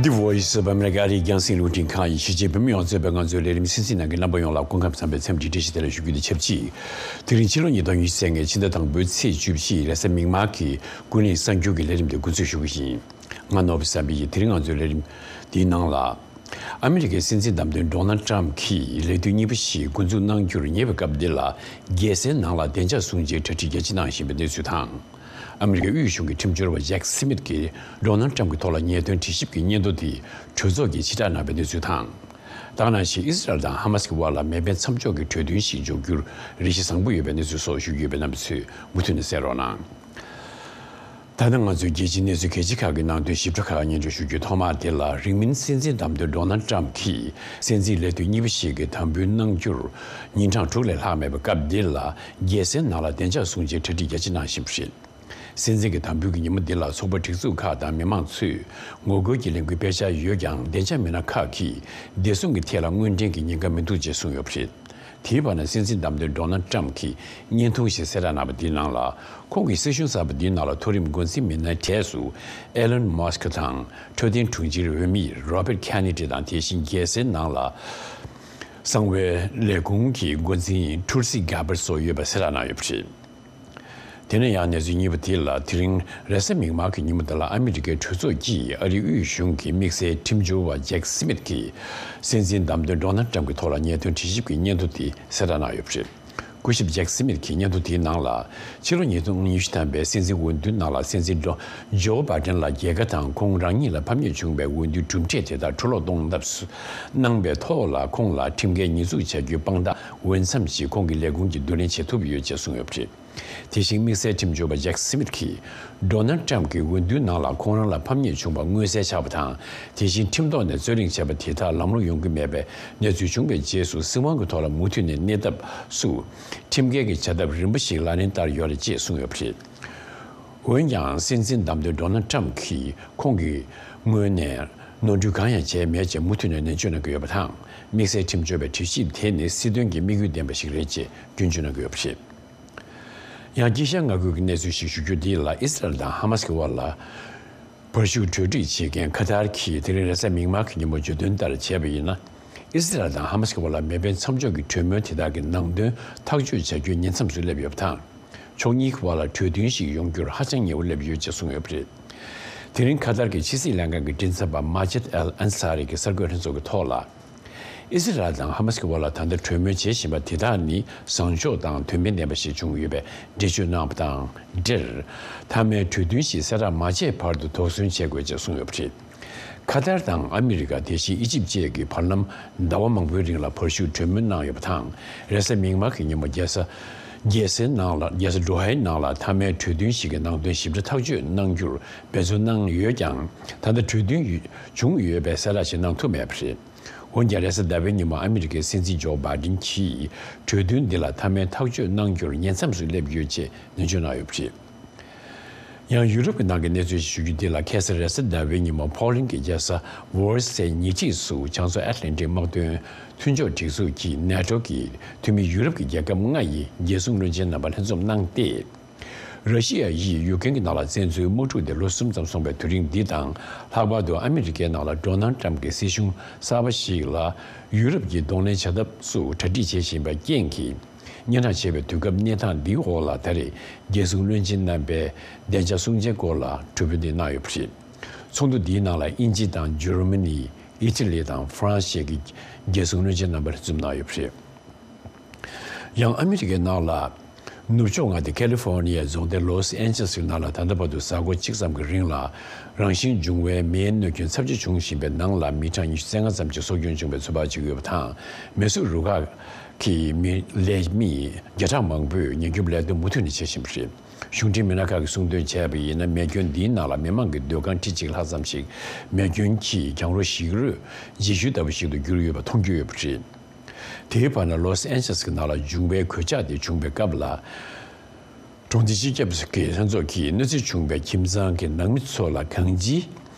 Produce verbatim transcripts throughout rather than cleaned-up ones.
The Voice of America ཨ་རིའི་རྒྱང་སྲིང་རླུང་འཕྲིན་ཁང་ཡི་ཕྱི་རྒྱལ་བོད་མི་ཡོངས་གཙོས་པའི་ང་ཚོའི་ལས་རིམ་སྲིད་འཛིན་ནང་གི་རྣམ་པ་ཡོངས་ལ་སྐུ་ཁམས་བཟང་པའི་འཚམས་འདྲི་བཀྲ་ཤིས་བདེ་ལེགས་ཞུ་རྒྱུ་དེ་ཆབས་ཅིག་དེ་རིང་ཕྱི་ལོ་ཉིས་སྟོང་ཉི་ཤུ་རྩ་ལྔའི་ཕྱི་ཟླ་དང་པོའི་ཚེས་བཅུ་བཞི་རེས་གཟའ་མིག་དམར་གྱི་ཀུན་གླེང་གསར་འགྱུར་གྱི་ལས་རིམ་དེ་འགོ་འཛུགས་ཞུ་གི་ཡིན། ང་ནོར་བུ་བསམ་འཕེལ་གྱིས་དེ་རིང་ང་ཚོའི་ལས་རིམ་འདིའི་ནང་ལ། ཨ་མི་རི་ཀའི་སྲིད་འཛིན་བདམས་ཐོན་ཌོ་ནལ་ཊམ་གྱིས་ལས་དུས་གཉིས་པ་ཞིག་འགོ་འཛུགས་གནང་རྒྱུར་ཉེ་བའི་སྐབས་འདི་ལ་རྒྱལ་སའི་ནང་ལ་བདེ་འཇགས་སྲུང་བྱའི་གྲ་སྒྲིག་རྒྱ་ཆེ་གནང་བཞིན་པའི་གནས་ཚུལ་དང་། ཨ་མི་རི་ཀའི་དབུས་གཞུང་གི་ཁྲིམས་སྦྱོར་བ་ཇེག་སི་མིད་ཀྱིས་ཌོ་ནལ་ཊམ་གྱི་ཐོག་ལ་ཉེས་དོན་དྲི་ཞིབ་ཀྱི་སྙན་ཐོ་དེ་གྲོས་ཚོགས་ཀྱིས་ཕྱིར་བསྒྲགས་གནང་བའི་གནས་ཚུལ་དང་། ད་ག་ནང་བཞིན་ཨི་སི་རལ་དང་ཧ་མ་སི་གི་དབར་ལ་མེ་འཕེན་མཚམས་འཇོག་གི་གྲོས་མཐུན་ཞིག་འཇོག་རྒྱུར་རེ་ཞིག་བཟང་པོ་ཡོད་པའི་གནས་ཚུལ་སོགས་ཞུ་རྒྱུ་ཡོད་པས་རྣམ་པ་ཚོས་མུ་མཐུད་ནས་གསན་རོགས་གནང་། ད་ནི་ང་ཚོས་རྒྱལ་སྤྱིའི་གནས་ཚུལ་གལ་ཆེ་ཁག་གི་ནང་དོན་ཞིབ་ཕྲ་ཁག་སྙན་སྒྲོན་ཞུ་རྒྱུའི་ཐོག་མ་དེ་ལ། རིང་མིན་སྲིད་འཛིན་བདམས་ཐོན་ཌོ་ནལ་ཊམ་གྱིས་སྲིད་འཛིན་ལས་དུས་གཉིས་པ་ཞིག་གི་དམ་འབུལ་གནང་རྒྱུར་ཉིན་གྲངས་དྲུག་ལས་ལྷག་མེད་པའི་སྐབས་འདི་ལ། རྒྱལ་སའི་ནང་ལ་བདེ་འཇགས་སྲུང་བྱའི་གྲ་སྒྲིག་རྒྱ་ཆེ་གནང་བཞིན་པ་རེད། སྲིད་འཛིན་གྱི་དམ་འབུལ་གྱི་ཉིན་མོ་འདི་ལ་ཚོགས་པ་སྒྲིག་འཛུགས་ཁག་དང་མི་མང་ཚོས་ངོ་རྒོལ་གྱི་ལས་འགུལ་སྤེལ་འཆར་ཡོད་ཀྱང་། བདེ་འཇགས་མི་སྣ་ཁག་གིས་བདེ་སྲུང་གི་ཐད་ལ་དངོས་འབྲེལ་གྱི་ཉེན་ཁ་མི་འདུག་ཅེས་གསུངས་ཡོད་པ་རེད། དེའི་བར་ན། སྲིད་འཛིན་བདམས་ཐོན་ཌོ་ནལ་ཊམ་གྱིས་བརྙན་ཐུང་ཞིག་གསལ་བསྒྲགས་གནང་བ་འདིའི་ནང་ལ། ཁོང་གིས་སྲིད་གཞུང་གསར་པ་འདིའི་ནང་ལ་མཐོ་རིམ་འགོ་འཛིན་མི་སྣའི་གྲས་སུ་ཨེ་ལོན་མཱ་སི་ཀི་དང་། འཕྲོད་བསྟེན་དྲུང་ཆེའི་འོས་མི་རོ་བར་ཁེ་ནེ་ཌི་དང་། དེ་བཞིན་རྒྱལ་སའི་ནང་ལ་གསང་བའི་ལས་ཁུངས་ཀྱི་འགོ་འཛིན་ཊུལ་སི་གྷ་བར་སོགས་ཡོད་པ་གསལ་བསྒྲགས་གནང་ཡོད་པ་རེད། དེ་ནས་ཡང་གནས་ཚུལ་གཉིས་པ་དེ་ལ། དེ་རིང་རེས་གཟའ་མིག་དམར་གྱི་ཉིན་མོ་འདི་ལ་ཨ་མི་རི་ཀའི་གྲོས་ཚོགས་ཀྱིས་ཨ་རིའི་དབུས་གཞུང་གི་དམིགས་བསལ་ཁྲིམས་སྦྱོར་བ་ཇེག་སི་མིད་ཀྱིས་སྲིད་འཛིན་བདམས་ཐོན་ཌོ་ནལ་ཊམ་གྱི་ཐོག་ལ་ཉེས་དོན་དྲི་ཞིབ་ཀྱི་སྙན་ཐོ་དེ་གསལ་བསྒྲགས་གནང་ཡོད་པ་རེད། སྐུ་ཞབས་ཇེག་སི་མིད་ཀྱིས་སྙན་ཐོ་དེའི་ནང་ལ། ཕྱི་ལོ་ཉིས་སྟོང་ཉི་ཤུ་ཐམ་པའི་སྲིད་འཛིན་འོས་བསྡུའི་ནང་ལ། སྲིད་འཛིན་ཇོ་ཇོ་བྷའི་ཌེན་ལ་རྒྱལ་ཁ་དང་། ཁོང་རང་ཉིད་ལ་ཕམ་ཉེས་བྱུང་བའི་འོས་བསྡུའི་གྲུབ་འབྲས་དེ་དག་འཕྲོ་བརླག་གཏོང་ཐབས་སུ་གནང་པའི་ཐོག་ལ། ཁོང་ལ་ཁྲིམས་འགལ་ཉེས་འཛུགས་བྱ་རྒྱུའི་དཔང་རྟགས་འོས་འཚམ་ཞིག་ཁོང་གི་ལས་ཁུངས་ཀྱིས་བསྡུ་ལེན་བྱེད་ཐུབ་ཡོད་ཅེས་གསུངས་ཡོད་པ་རེད། དེ་བཞིན་དམིགས་བསལ་ཁྲིམས་སྦྱོར་བ་ཇེག་སི་མིད་ཀྱིས། ཌོ་ནལ་ཊམ་གྱིས་འོས་བསྡུའི་ནང་ལ་ཁོང་རང་ལ་ཕམ་ཉེས་བྱུང་བ་མངོན་གསལ་ཆགས་པ་དང་། དེ་བཞིན་ཁྲིམས་ཐོག་ནས་རྩོད་གླེང་བྱས་པ་དེ་དག་ལམ་ལྷོང་ཡོང་གི་མེད་པའི་གནས་ཚུལ་བྱུང་བའི་རྗེས་སུ། སྲིད་དབང་གི་ཐོག་ལ་མུ་མཐུད་ནས་གནས་ཐབས་སུ། ཁྲིམས་འགལ་གྱི་བྱ་ཐབས་རིམ་པ་ཞིག་ལག་ལེན་བསྟར་ཡོད་རེད་ཅེས་གསུངས་ཡོད་པ་རེད། འོན་ཀྱང་། སྲིད་འཛིན་བདམས་ཐོན་ཌོ་ནལ་ཊམ་གྱིས་ཁོང་གི་ངོས་ནས་ནོར་འཁྲུལ་གང་ཡང་བྱས་མེད་ཅེས་མུ་མཐུད་ནས་ནན་བརྗོད་གནང་གི་ཡོད་པ་དང་། དམིགས་བསལ་ཁྲིམས་སྦྱོར་བའི་གྲོས་གཞི་དེ་ནི་སྲིད་དོན་གྱི་དམིགས་ཡུལ་ལྡན་པ་ཞིག་རེད་ཅེས་སྐྱོན་བརྗོད་གནང་གི་ཡོད་པ་རེད། ཡང་དཀྱིལ་ཤར་མངའ་ཁུལ་གྱི་གནས་ཚུལ་ཞིག་ཞུ་རྒྱུ་འདི་ལ། ཨི་སི་རལ་དང་ཧ་མ་སི་ཀྱི་དབར་ལ་བར་ཞུགས་གྲོས་སྒྲིག་བྱེད་མཁན་ཁ་ཐར་གྱིས་དེ་རིང་རེས་གཟའ་མིག་དམར་གྱི་ཉིན་མོ་བརྗོད་དོན་ལྟར་བྱས་པ་ཡིན་ན། ཨི་སི་རལ་དང་ཧ་མ་སི་ཀྱི་དབར་ལ་མེ་འཕེན་མཚམས་འཇོག་གི་གྲོས་མོལ་དེ་དག་གི་ནང་དོན་ཐག་གཅོད་བྱ་རྒྱུའི་ཉེ་མཚམས་སུ་སླེབས་ཡོད་པ་དང་། ཕྱོགས་གཉིས་ཀྱི་དབར་ལ་གྲོས་མཐུན་ཞིག་ཡོང་རྒྱུར་ཧ་ཅང་ཉེ་བོ་སླེབས་ཡོད་ཅེས་གསུངས་ཡོད་པ་རེད། དེ་རིང་ཁ་ཐར་གྱི་ཕྱི་སྲིད་ལྷན་ཁང་གི་མགྲིན་ཚབ་པ་མ་ཇིད་ཨལ་ཨན་ས་རི་གིས་གསར་འགོད་ལྷན་ཚོགས་ཀྱི་ཐོག་ལ། ཨི་སི་རལ་དང་ཧ་མ་སི་ཀྱི་དབར་ལ་ད་ལྟ་གྲོས་མོལ་བྱེད་བཞིན་པ་དེ་དག་ནི་བཟང་ཕྱོགས་དང་དོན་ཕན་ལྡན་པ་ཞིག་བྱུང་ཡོད་པའི་འགྲེལ་བརྗོད་གནང་བ་དང་འབྲེལ། མཐའ་མའི་གྲོས་མཐུན་ཞིག་གསལ་བསྒྲགས་མ་བྱས་བར་དུ་དོགས་ཟོན་བྱེད་དགོས་ཅེས་གསུངས་ཡོད་པ་རེད། ཁ་ཐར་དང་ཨ་མི་རི་ཀ། དེ་བཞིན་ཨི་ཇིབ་བཅས་ཀྱིས་བར་ལམ་ཟླ་བ་མང་པོའི་རིང་ལ་བར་ཞུགས་གྲོས་མོལ་གནང་ཡོད་པ་དང་། རེས་གཟའ་མིག་དམར་གྱི་ཉིན་མོ་རྒྱལ་ས་རྒྱལ་སའི་ནང་ལ། རྒྱལ་ས་ཌོ་ཧའི་ནང་ལ་མཐའ་མའི་གྲོས་མཐུན་ཞིག་གི་ནང་དོན་ཞིབ་ཕྲ་ཐག་གཅོད་གནང་རྒྱུར་འབད་བརྩོན་གནང་ཡོད་ཀྱང་། ད་ལྟ་གྲོས་མཐུན་ཡོད་བྱུང་ཡོད་པའི་གསལ་བསྒྲགས་ཤིག་གནང་ཐུབ་མེད་པ་རེད། འོན་ཀྱང་། རེས་གཟའ་ཟླ་བའི་ཉིན་མོ་ཨ་མི་རི་ཀའི་སྲིད་འཛིན་ཇོ་བྷའི་ཌེན་གྱིས་གྲོས་མཐུན་འདི་ལ་མཐའ་མའི་ཐག་གཅོད་གནང་རྒྱུར་ཉེ་མཚམས་སུ་སླེབས་ཡོད་ཅེས་ནན་བརྗོད་གནང་ཡོད་པ་རེད། ཡང་ཡུ་རོབ་ཀྱི་ནང་གི་གནས་ཚུལ་ཞིག་ཞུ་རྒྱུ་འདི་ལ། ཁ་སང་རེས་གཟའ་ཟླ་བའི་ཉིན་མོ་ཕོ་ལན་གྱི་རྒྱལ་ས་ཝར་སའི་ཉེ་འཁྲིས་སུ་བྱང་མཚོ་ཨེཊ་ལན་ཊིག་དམག་དོན་མཐུན་ཕྱོགས་སྒྲིག་འཛུགས་ཀྱི་ནེ་ཊོ་གི་འཐུས་མི་ཡུ་རོབ་ཀྱི་རྒྱལ་ཁབ་ལྔ་ཡི་རྒྱལ་སྲུང་བློན་ཆེན་རྣམ་པ་ལྷན་འཛོམས་གནང་སྟེ། ར་ཤི་ཡ་ཡིས་ཡུཀ་རེན་གྱི་ནང་ལ་བཙན་འཛུལ་དམག་འཁྲུག་དེ་ལོ་གསུམ་ཙམ་སོང་བའི་དུས་རིང་འདི་དང་། ལྷག་པར་དུ་ཨ་མི་རི་ཀའི་ནང་ལ་ཌོ་ནལ་ཊམ་གྱི་སྲིད་གཞུང་གསར་པ་ཞིག་ལ་ཡུ་རོབ་ཀྱིས་གདོང་ལེན་བྱ་ཐབས་སུ་གྲ་སྒྲིག་བྱེད་བཞིན་པའི་རྐྱེན་གྱིས། སྙན་གྲགས་ཆེ་བའི་དུས་སྐབས་གནས་སྟངས་འདིའི་འོག་ལ། ད་རེས་རྒྱལ་སྲུང་བློན་ཆེན་རྣམ་པས་བདེ་འཇགས་སྲུང་བྱའི་སྐོར་ལ་གྲོས་མོལ་འདི་གནང་ཡོད་པ་རེད། ཚོགས་འདུ་འདིའི་ནང་ལ་དབྱིན་ཇི་དང་འཇར་མ་ནི། ཨི་ཊ་ལི་དང་ཧྥ་རན་སི་བཅས་ཀྱི་རྒྱལ་སྲུང་བློན་ཆེན་རྣམ་པ་འཛོམས་གནང་ཡོད་པ་རེད། ཡང་ཨ་མི་རི་ཀའི་ནང་ལ། ནུབ་ཕྱོགས་མངའ་སྡེ་ཁ་ལི་ཧྥོ་ནི་ཡའི་རྫོང་སྡེ་ལོས་ཨན་ཇེ་ལིས་ཀྱི་ནང་ལ་ད་ལྟ་བར་དུ་གཟའ་འཁོར་གཅིག་ཙམ་གྱི་རིང་ལ། རང་བཞིན་འབྱུང་བའི་མེའི་གནོད་སྐྱོན་ཚབས་ཆེ་བྱུང་བཞིན་པའི་ནང་ལ། མི་གྲངས་ཉི་ཤུ་རྩ་ལྔ་ཙམ་གྱི་སྲོག་སྐྱོན་བྱུང་བའི་ཚོད་དཔག་བྱེད་ཀྱི་ཡོད་པ་དང་། མེ་གཟུགས་རུ་ཁག་གི་མི་ལས་མི་བརྒྱ་ཕྲག་མང་པོས་ཉེན་སྐྱོབ་ལས་དོན་མུ་མཐུད་ནས་བྱེད་བཞིན་པ་རེད། གཞུང་འབྲེལ་མི་སྣ་ཁག་གིས་གསུངས་དོན་བྱས་པ་ཡིན་ན། མེ་སྐྱོན་འདིའི་ནང་ལ་མི་མང་གི་སྡོད་ཁང་ཁྲི་གཅིག་ལྷག་ཙམ་ཞིག་མེ་སྐྱོན་གྱིས་གྱང་རོ་ཞིག་རོའི་རྗེས་ཤུལ་ལྟ་བུ་ཞིག་ཏུ་གྱུར་ཡོད་པ་མཐོང་རྒྱུ་ཡོད་པ་རེད། དེའི་བར་ན། ལོས་ཨན་ཇེ་ལིས་ཀྱི་ནང་ལ་འབྱུང་བའི་གོད་ཆག་དེ་བྱུང་བའི་སྐབས་ལ། གྲོང་སྡེ་སྤྱི་ཁྱབ་ཀྱི་ལྷན་ཚོགས་ཀྱིས་གནོད་འཚེ་བྱུང་བའི་ཁྱིམ་ཚང་གི་ནང་མི་ཚོ་ལ་གང་ཅིའི་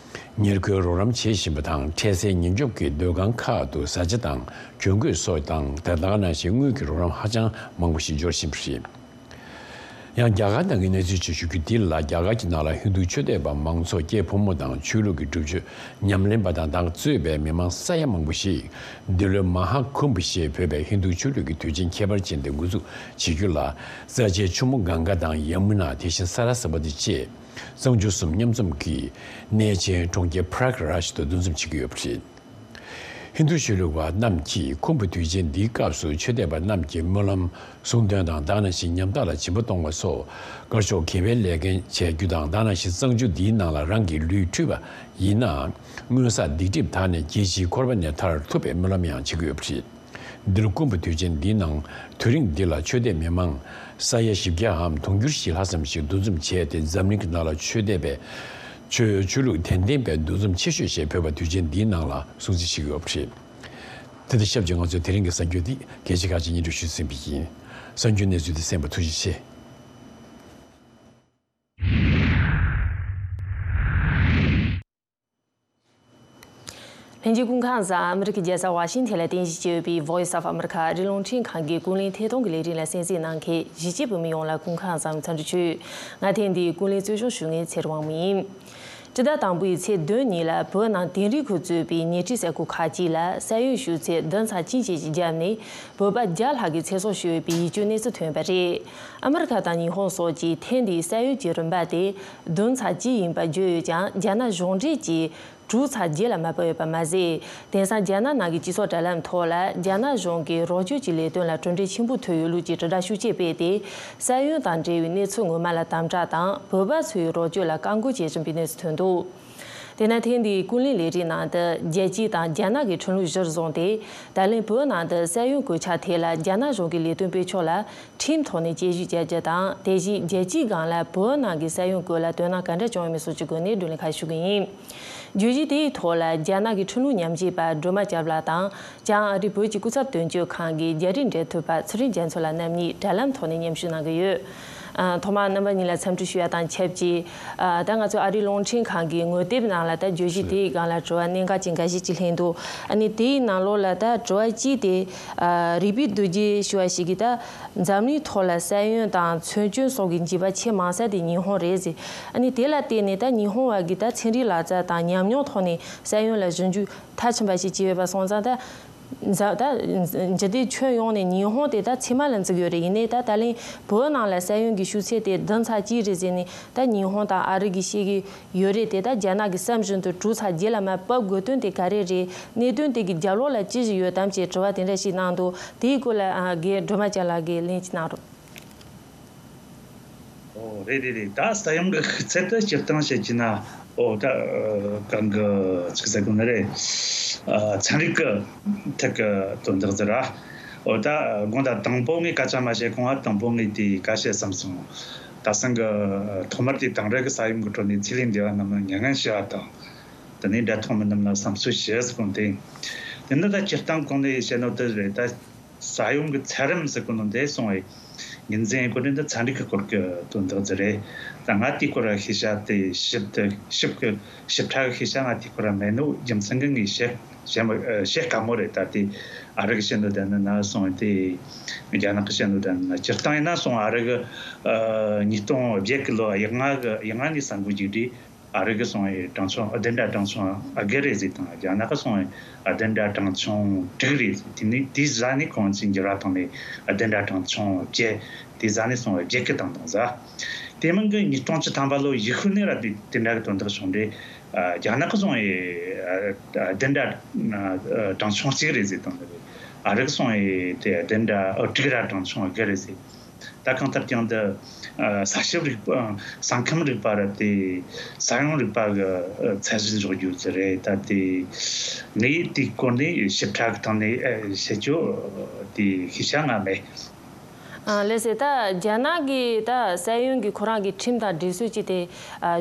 ཉེར་མཁོའི་རོགས་རམ་བྱེད་བཞིན་པ་དང་། འཕྲལ་སེལ་ཉེན་སྐྱོབ་ཀྱི་སྡོད་ཁང་ཁག་ཏུ་བཟའ་བཅའ་དང་གྱོན་གོས་སོགས་དང་། དེ་དག་ནང་བཞིན་དངུལ་གྱི་རོགས་རམ་ཧ་ཅང་མང་པོ་ཞིག་འབྱོར་བཞིན་པ་རེད། ཡང་རྒྱ་གར་ནང་གི་གནས་ཚུལ་ཅིག་ཞུ་རྒྱུ་འདི་ལ། རྒྱ་གར་གྱི་ནང་ལ་ཧིན་རྡུ་ཆོས་དད་པ་མང་ཚོགས་སྐྱེས་ཕོ་མོ་དང་ཆོས་ལུགས་ཀྱི་སྒྲུབ་མཆོད་ཉམས་ལེན་པ་དང་དང་གཙོས་པའི་མི་མང་ས་ཡ་མང་པོ་ཞིག་འདི་ལོའི་མ་ཧཱ་ཀུམ་བྷ་ཞེས་འབོད་པའི་ཧིན་རྡུ་ཆོས་ལུགས་ཀྱི་དུས་ཆེན་ཁྱད་པར་ཅན་དེ་འགོ་འཛུགས་བྱེད་རྒྱུ་ལ། རྩ་ཆེའི་ཆུ་མོ་གངྒཱ་དང་ཡ་མུ་ན། དེ་བཞིན་ས་ར་སྭ་བ་ཏི་བཅས་གཙང་ཆུ་གསུམ་མཉམ་འཛོམས་ཀྱིས་གནས་ཆེན་གྲོང་ཁྱེར་པྲག་རཱཇ་དུ་འདུ་འཛོམས་བྱེད་ཀྱི་ཡོད་པ་རེད། ཧིན་རྡུ་ཆོས་ལུགས་པ་རྣམས་ཀྱིས་ཁུམ་བུ་དུས་ཆེན་འདིའི་སྐབས་སུ་ཆོས་དད་པ་རྣམས་ཀྱི་སྨོན་ལམ་གསུང་འདོན་དང་། དེ་ནང་བཞིན་ཉམ་ཐག་ལ་སྦྱིན་པ་གཏོང་བ་སོགས་དཀར་ཕྱོགས་དགེ་བའི་ལས་འགན་བྱེད་རྒྱུ་དང་། དེ་ནང་བཞིན་གཙང་ཆུ་འདིའི་ནང་ལ་རང་གི་ལུས་འཁྲུས་པ་ཡིན་ན་སྔོན་བསགས་སྡིག་སྒྲིབ་དག་ནས་རྒྱལ་སྤྱིའི་འཁོར་བ་ནས་ཐར་ཐུབ་པའི་སྨོན་ལམ་ཡང་བྱེད་ཀྱི་ཡོད་པ་རེད། འདི་ལོ་ཁུམ་བུ་དུས་ཆེན་འདིའི་ནང་དུས་རིང་འདི་ལ་ཆོས་དད་མི་མང་ས་ཡ་བཞི་བརྒྱ་འམ་དུང་ཕྱུར་བཞི་ལྷག་ཙམ་ཞིག་འདུ་འཛོམས་བྱས་ཏེ། འཛམ་གླིང་གི་ནང་ལ་ཆོས་དད་པའི་ཆོས་ཆོས་ལུགས་དད་ལྡན་པའི་འདུ་འཛོམས་ཆེ་ཤོས་ཞེས་འབོད་པ་དུས་ཆེན་འདིའི་ནང་ལ་སྲུང་བརྩི་བྱེད་ཀྱི་ཡོད་པ་རེད། དེ་དང་ཆབས་ཅིག་ང་ཚོས་དེ་རིང་གི་གསར་འགྱུར་འདི་གལ་ཆེ་ཁག་ཅིག་སྙན་སྒྲོན་ཞུས་ཟིན་པ་ཡིན། གསར་འགྱུར་གནས་ཚུལ་འདི་གསན་པར་ཐུགས་རྗེ་ཆེ། ལྷན་རྒྱས་སྐུ་ཁམས་བཟང་། ཨ་མི་རི་ཀའི་རྒྱལ་ས་ཝ་ཤིང་ཐན་ལ་རྟེན་གཞི་བྱས་ཡོད་པའི་Voice of America ཨ་རིའི་རླུང་འཕྲིན་ཁང་གི་ཀུན་གླེང་ཐད་གཏོང་གི་ལས་རིམ་ལ་གསན་གཟིགས་གནང་མཁན་གཞིས་བྱེས་བོད་མི་ཡོངས་ལ་སྐུ་ཁམས་བཟང་། འཚམས་འདྲི་ཞུ། ང་ཐེངས་འདིའི་ཀུན་གླེང་གཙོ་སྐྱོང་ཞུ་མཁན་ཚེ་རིང་དབང་མོ་ཡིན། སྤྱི་ཟླ་དང་པོའི་ཚེས་བདུན་ཉིན་ལ་བོད་ནང་དིང་རི་ཁུལ་གཙོས་པའི་ཉེ་འཁྲིས་ས་ཁུལ་ཁག་ཅིག་ལ་ས་ཡོམ་ཤུགས་ཚད་བདུན་ཚེག་གཅིག་བཅས་ཀྱི་བརྒྱབ་ནས། བོད་པ་བརྒྱ་ལྷག་གི་ཚེ་སྲོག་ཤོར་ཡོད་པའི་ཡིད་སྐྱོའི་གནས་ཚུལ་ཐོན་པ་རེད། ཨ་མི་རི་ཁ་དང་ཉི་ཧོང་སོགས་ཀྱིས་ཐེངས་འདིའི་ས་ཡོམ་གྱི་རིམ་པ་དེ་བདུན་ཚེག་གཅིག་ཡིན་པ་བརྗོད་ཡོད་ཀྱང་། རྒྱ་ནག་གཞུང་འབྲེལ་གྱིས་དྲུག་ཚེག་བརྒྱད་ལ་མ་ཕབ་ཡོད་པ་མ་ཟད། དེང་སང་རྒྱ་ནག་ནང་གི་སྤྱི་ཚོགས་དྲ་ལམ་ཐོག་ལ། རྒྱ་ནག་གཞུང་གིས་རོགས་སྐྱོར་གྱི་ལས་དོན་ལ་གྲུབ་འབྲས་ཆེན་པོ་ཐོབ་ཡོད་ལུགས་ཀྱི་དྲིལ་བསྒྲགས་ཤུགས་ཆེ་སྤེལ་ཏེ། ས་ཡོམ་དང་འབྲེལ་བའི་གནས་ཚུལ་ངོ་མ་ལ་དམ་དྲག་དང་། བོད་པ་ཚོའི་རོགས་སྐྱོར་ལ་བཀག་འགོག་བྱེད་བཞིན་པའི་གནས་ཚུལ་ཐོན་འདུག་དེས་ན། ཐེངས་འདིའི་ཀུན་གླེང་ལས་རིམ་ནང་དུ། རྒྱལ་སྤྱི་དང་རྒྱ་ནག་གི་ཁྲིམས་ལུགས་གཞིར་བཟུང་སྟེ། ད་ལན་བོད་ནང་དུ་ས་ཡོམ་གོད་ཆག་ཐད་ལ་རྒྱ་ནག་གཞུང་གི་ལས་དོན་སྤེལ་ཕྱོགས་ལ་ཁྲིམས་ཐོག་ནས་དཔྱད་ཞིབ་བྱ་རྒྱུ་དང་། དེ་བཞིན་རྒྱལ་སྤྱིའི་སྒང་ལ་བོད་ནང་གི་ས་ཡོམ་སྐོར་ལ་དོ་སྣང་ག་འདྲ་བྱུང་ཡོད་མེད་སོགས་ཀྱི་སྒོ་ནས་བགྲོ་གླེང་ཁག་ཞུ་གི་ཡིན། བརྗོད་གཞི་དེའི་ཐོག་ལ་རྒྱ་ནག་གི་ཁྲིམས་ལུགས་ཉམས་ཞིབ་པ་སྒྲོལ་མ་སྐྱབས་ལགས་དང་། བྱང་ཨ་རི་བོད་ཀྱི་སྐུ་ཚབ་དོན་གཅོད་ཁང་གི་རྒྱ་རིགས་འབྲེལ་མཐུད་པ་ཚེ་རིང་རྒྱ་མཚོ་ལགས་རྣམ་གཉིས་དྲ་ལམ་ཐོག་ནས་མཉམ་ཞུགས་གནང་གི་ཡོད། ཨ། ཐོག་མར་རྣམ་པ་གཉིས་ལ་འཚམས་འདྲི་ཞུ་ཡ་དང་ཆབས་ཅིག་ཨ། ད་ང་ཚོ་ཨ་རིའི་རླུང་འཕྲིན་ཁང་གི་ངོ་དེབ་ནང་ལ་ད་བརྗོད་གཞི་དེའི་སྒང་ལ་དྲི་བ་གནད་འགག་ཅན་འགའ་ཤས་ཅིག་ལྷན་འདུག་ཨ་ནི་དེའི་ནང་ལོགས་ལ་ད་དྲི་བ་གཅིག་དེ། ཨ། རིག་པའི་རྡོ་རྗེ་ཞུ་བ་ཞིག་གིས། ད་འཛམ་གླིང་ཐོག་ལ་ས་ཡོམ་དང་མཚོན་ཆ་སོགས་ཀྱི་འཇིགས་པ་ཆེས་མང་ས་དེ་ཉི་ཧོང་རེད་ཟེར། ཨ་ནི་དེ་ལ་བརྟེན་ནས་ད་ཉི་ཧོང་བ་གིས་ད་ཚན་རིག་ལག་རྩལ་དང་ཉམས་མྱོང་ཐོག་ནས་ས་ཡོམ་ལ་ཞིབ་འཇུག་མཐར་ཕྱིན་པ་ཞིག་བྱས་ཡོད་པ་སོང་ཙང་། ད་འཛམ། ད་འཇིག་རྟེན་ཁྱོན་ཡོངས་ནས་ཉི་ཧོང་དེ་ད་ཚེར་མ་ལ་འཛེགས་ཡོད་རེད། ཡིན་ནའི་ད་ད་ལན་བོད་ནང་ལ་ས་ཡོམ་གྱི་ཤུགས་ཚད་དེ་བདུན་ཚེག་གཅིག་རེད་ཟེར་ནས། ད་ཉི་ཧོང་དང་ཨ་རི་གིས་བཤད་ཀྱི་ཡོད་རེད་དེ། ད་རྒྱ་ནག་གི་བསམ་བཞིན་དུ་དྲུག་ཚེག་བརྒྱད་ལ་མར་ཕབ་དགོས་དོན་དེ་ག་རེ་རེད། གནད་དོན་དེ་གི་རྒྱབ་ལོགས་ལ་ཅི་ཞིག་ཡོད་དམ་ཅེས་དྲི་བ་དེ་འདྲ་ཞིག་གནང་འདུག་དེའི་སྐོར་ལ། ཨ། རྒན་སྒྲོལ་མ་སྐྱབས་ལགས་ཀྱིས་ལན་ཅིག་གནང་རོགས། ཨོ། རེད་རེད་རེད། ད་ས་ཡོམ་གྱི་ཤུགས་ཚད་དེ་སྤྱིར་བཏང་བཤད་ཀྱི་ན། ཨོ། ད་གང་གི་ཅིག་ཟེར་དགོས་ནི་རེད། ཨ། ཚན་རིག་གི་ཐད་ཀྱི་དོན་དག་ཟེར་ར། ཨོ། ད་དགོངས་དག་དང་པོ་ངས་སྐད་ཆ་མ་བཤད་གོང་ང་དང་པོ་ངས་དེ་ག་བཤད་བསམ་སོང་། ད་སང་གི་ཐོག་མར་དེ་དེང་རབས་ཀྱི་ས་ཡོམ་གྱི་ཁྲོད་ནས་ཚེ་ལས་འདས་པ་རྣམས་ལ་མྱ་ངན་ཞུ་བ་དང་། དེ་ནས་འདྲ་མཐོང་མི་རྣམས་ལ་བསམ་ཚུལ་ཞུ་ཟེར་གོང་དེ། དེ་ནི་ད་སྤྱིར་བཏང་གོང་ནས་བཤད་ནོ་དེ་རེད། ད་ས་ཡོམ་གྱི་ཚད་རིམ་ཟེར་གོ་ནོ་འདི་སོང་བའི་ཉིན་མཚན་གོ་ནས་འདི་ཚན་རིག་གི་སྐོར་གྱི་དོན་དག་ཟིག་རེད། ད་ང་དེའི་སྐོར་ལ་ཤེས་བྱ་དེ་ཞིབ་ཏུ་ཞིབ་གི་ཞིབ་ཕྲ་གི་ཤེས་བྱ་ང་དེའི་སྐོར་ལ་མེད་ནོ་རྒྱུ་མཚན་གྱིས་ངས་བཤད་བཤད་མ་བཤད་དཀའ་མོ་རེད། ད་དེ་ཨ་རི་གི་བཤད་ནོ་དེ་ནི་ན་སོང་བའི་དེ་རྒྱ་ནག་གི་བཤད་ནོ་དེ་ནི་ན། སྤྱིར་བཏང་ཡིན་ན་སོང་ཨ་རི་གི་ཨ་ཉིས་སྟོང་བརྒྱད་གི་ལོ་ཡག་ང་གི་ཡག་ང་ནས་ས་འགུལ་རྒྱུག་དུས། ཨ་རི་གི་སོང་བའི་གྲངས་ཆུང་བདུན་དྲུག་གྲངས་ཆུང་བརྒྱད་རེད་ཟེར་དང་། རྒྱ་ནག་གི་སོང་བའི་བདུན་དྲུག་གྲངས་ཆུང་དྲུག་རེད་ཟེར། དེ་ནས་དེའི་གཞུག་ནས་ཁོང་ཚོས་འགྱུར་བ་བཏང་ནས་བདུན་དྲུག་གྲངས་ཆུང་བརྒྱད། དེའི་གཞུག་ནས་སོང་བའི་བརྒྱད་གི་བཏང་བཏང་ཟེར། དེ་མིན་གྱི་ཉིས་སྟོང་བཅུ་ཐམ་པ་ལོ་ཡག་ཤོས་ནས་ར་དེ་དེ་འདྲ་གི་དོན་དག་བྱུང་རེད། རྒྱ་ནག་གི་སོང་བའི་བདུན་དྲུག་གྲངས་ཆུང་གཅིག་རེད་ཟེར་དང་། ཨ་རི་གི་སོང་བའི་དེ་བདུན་དྲུག་དྲུག་ར་གྲངས་ཆུང་བརྒྱད་རེད་ཟེར། ད་གང་ལྟར་ཀྱང་འདི་ས་ཁྱབ་རིག་པ། ས་ཁམས་རིག་པ་ར་དེ་ས་ཡོམ་རིག་པ་གི་ཚད་གཞི་འཇོག་རྒྱུ་ཟིག་རེད། ད་དེ་ངས་དེའི་སྐོར་ནས་ཞིབ་ཕྲ་གི་ཐོག་ནས་བཤད་རྒྱུ་དེ་ཤེས་བྱ་ང་མེད། ཨ། ལགས་སེ། ད་རྒྱ་ནག་གི་ད་ས་ཡོམ་གྱི་ཁོ་རང་གི་ཁྲིམས་དང་སྒྲིག་སྲོལ་ཅིག་དེ་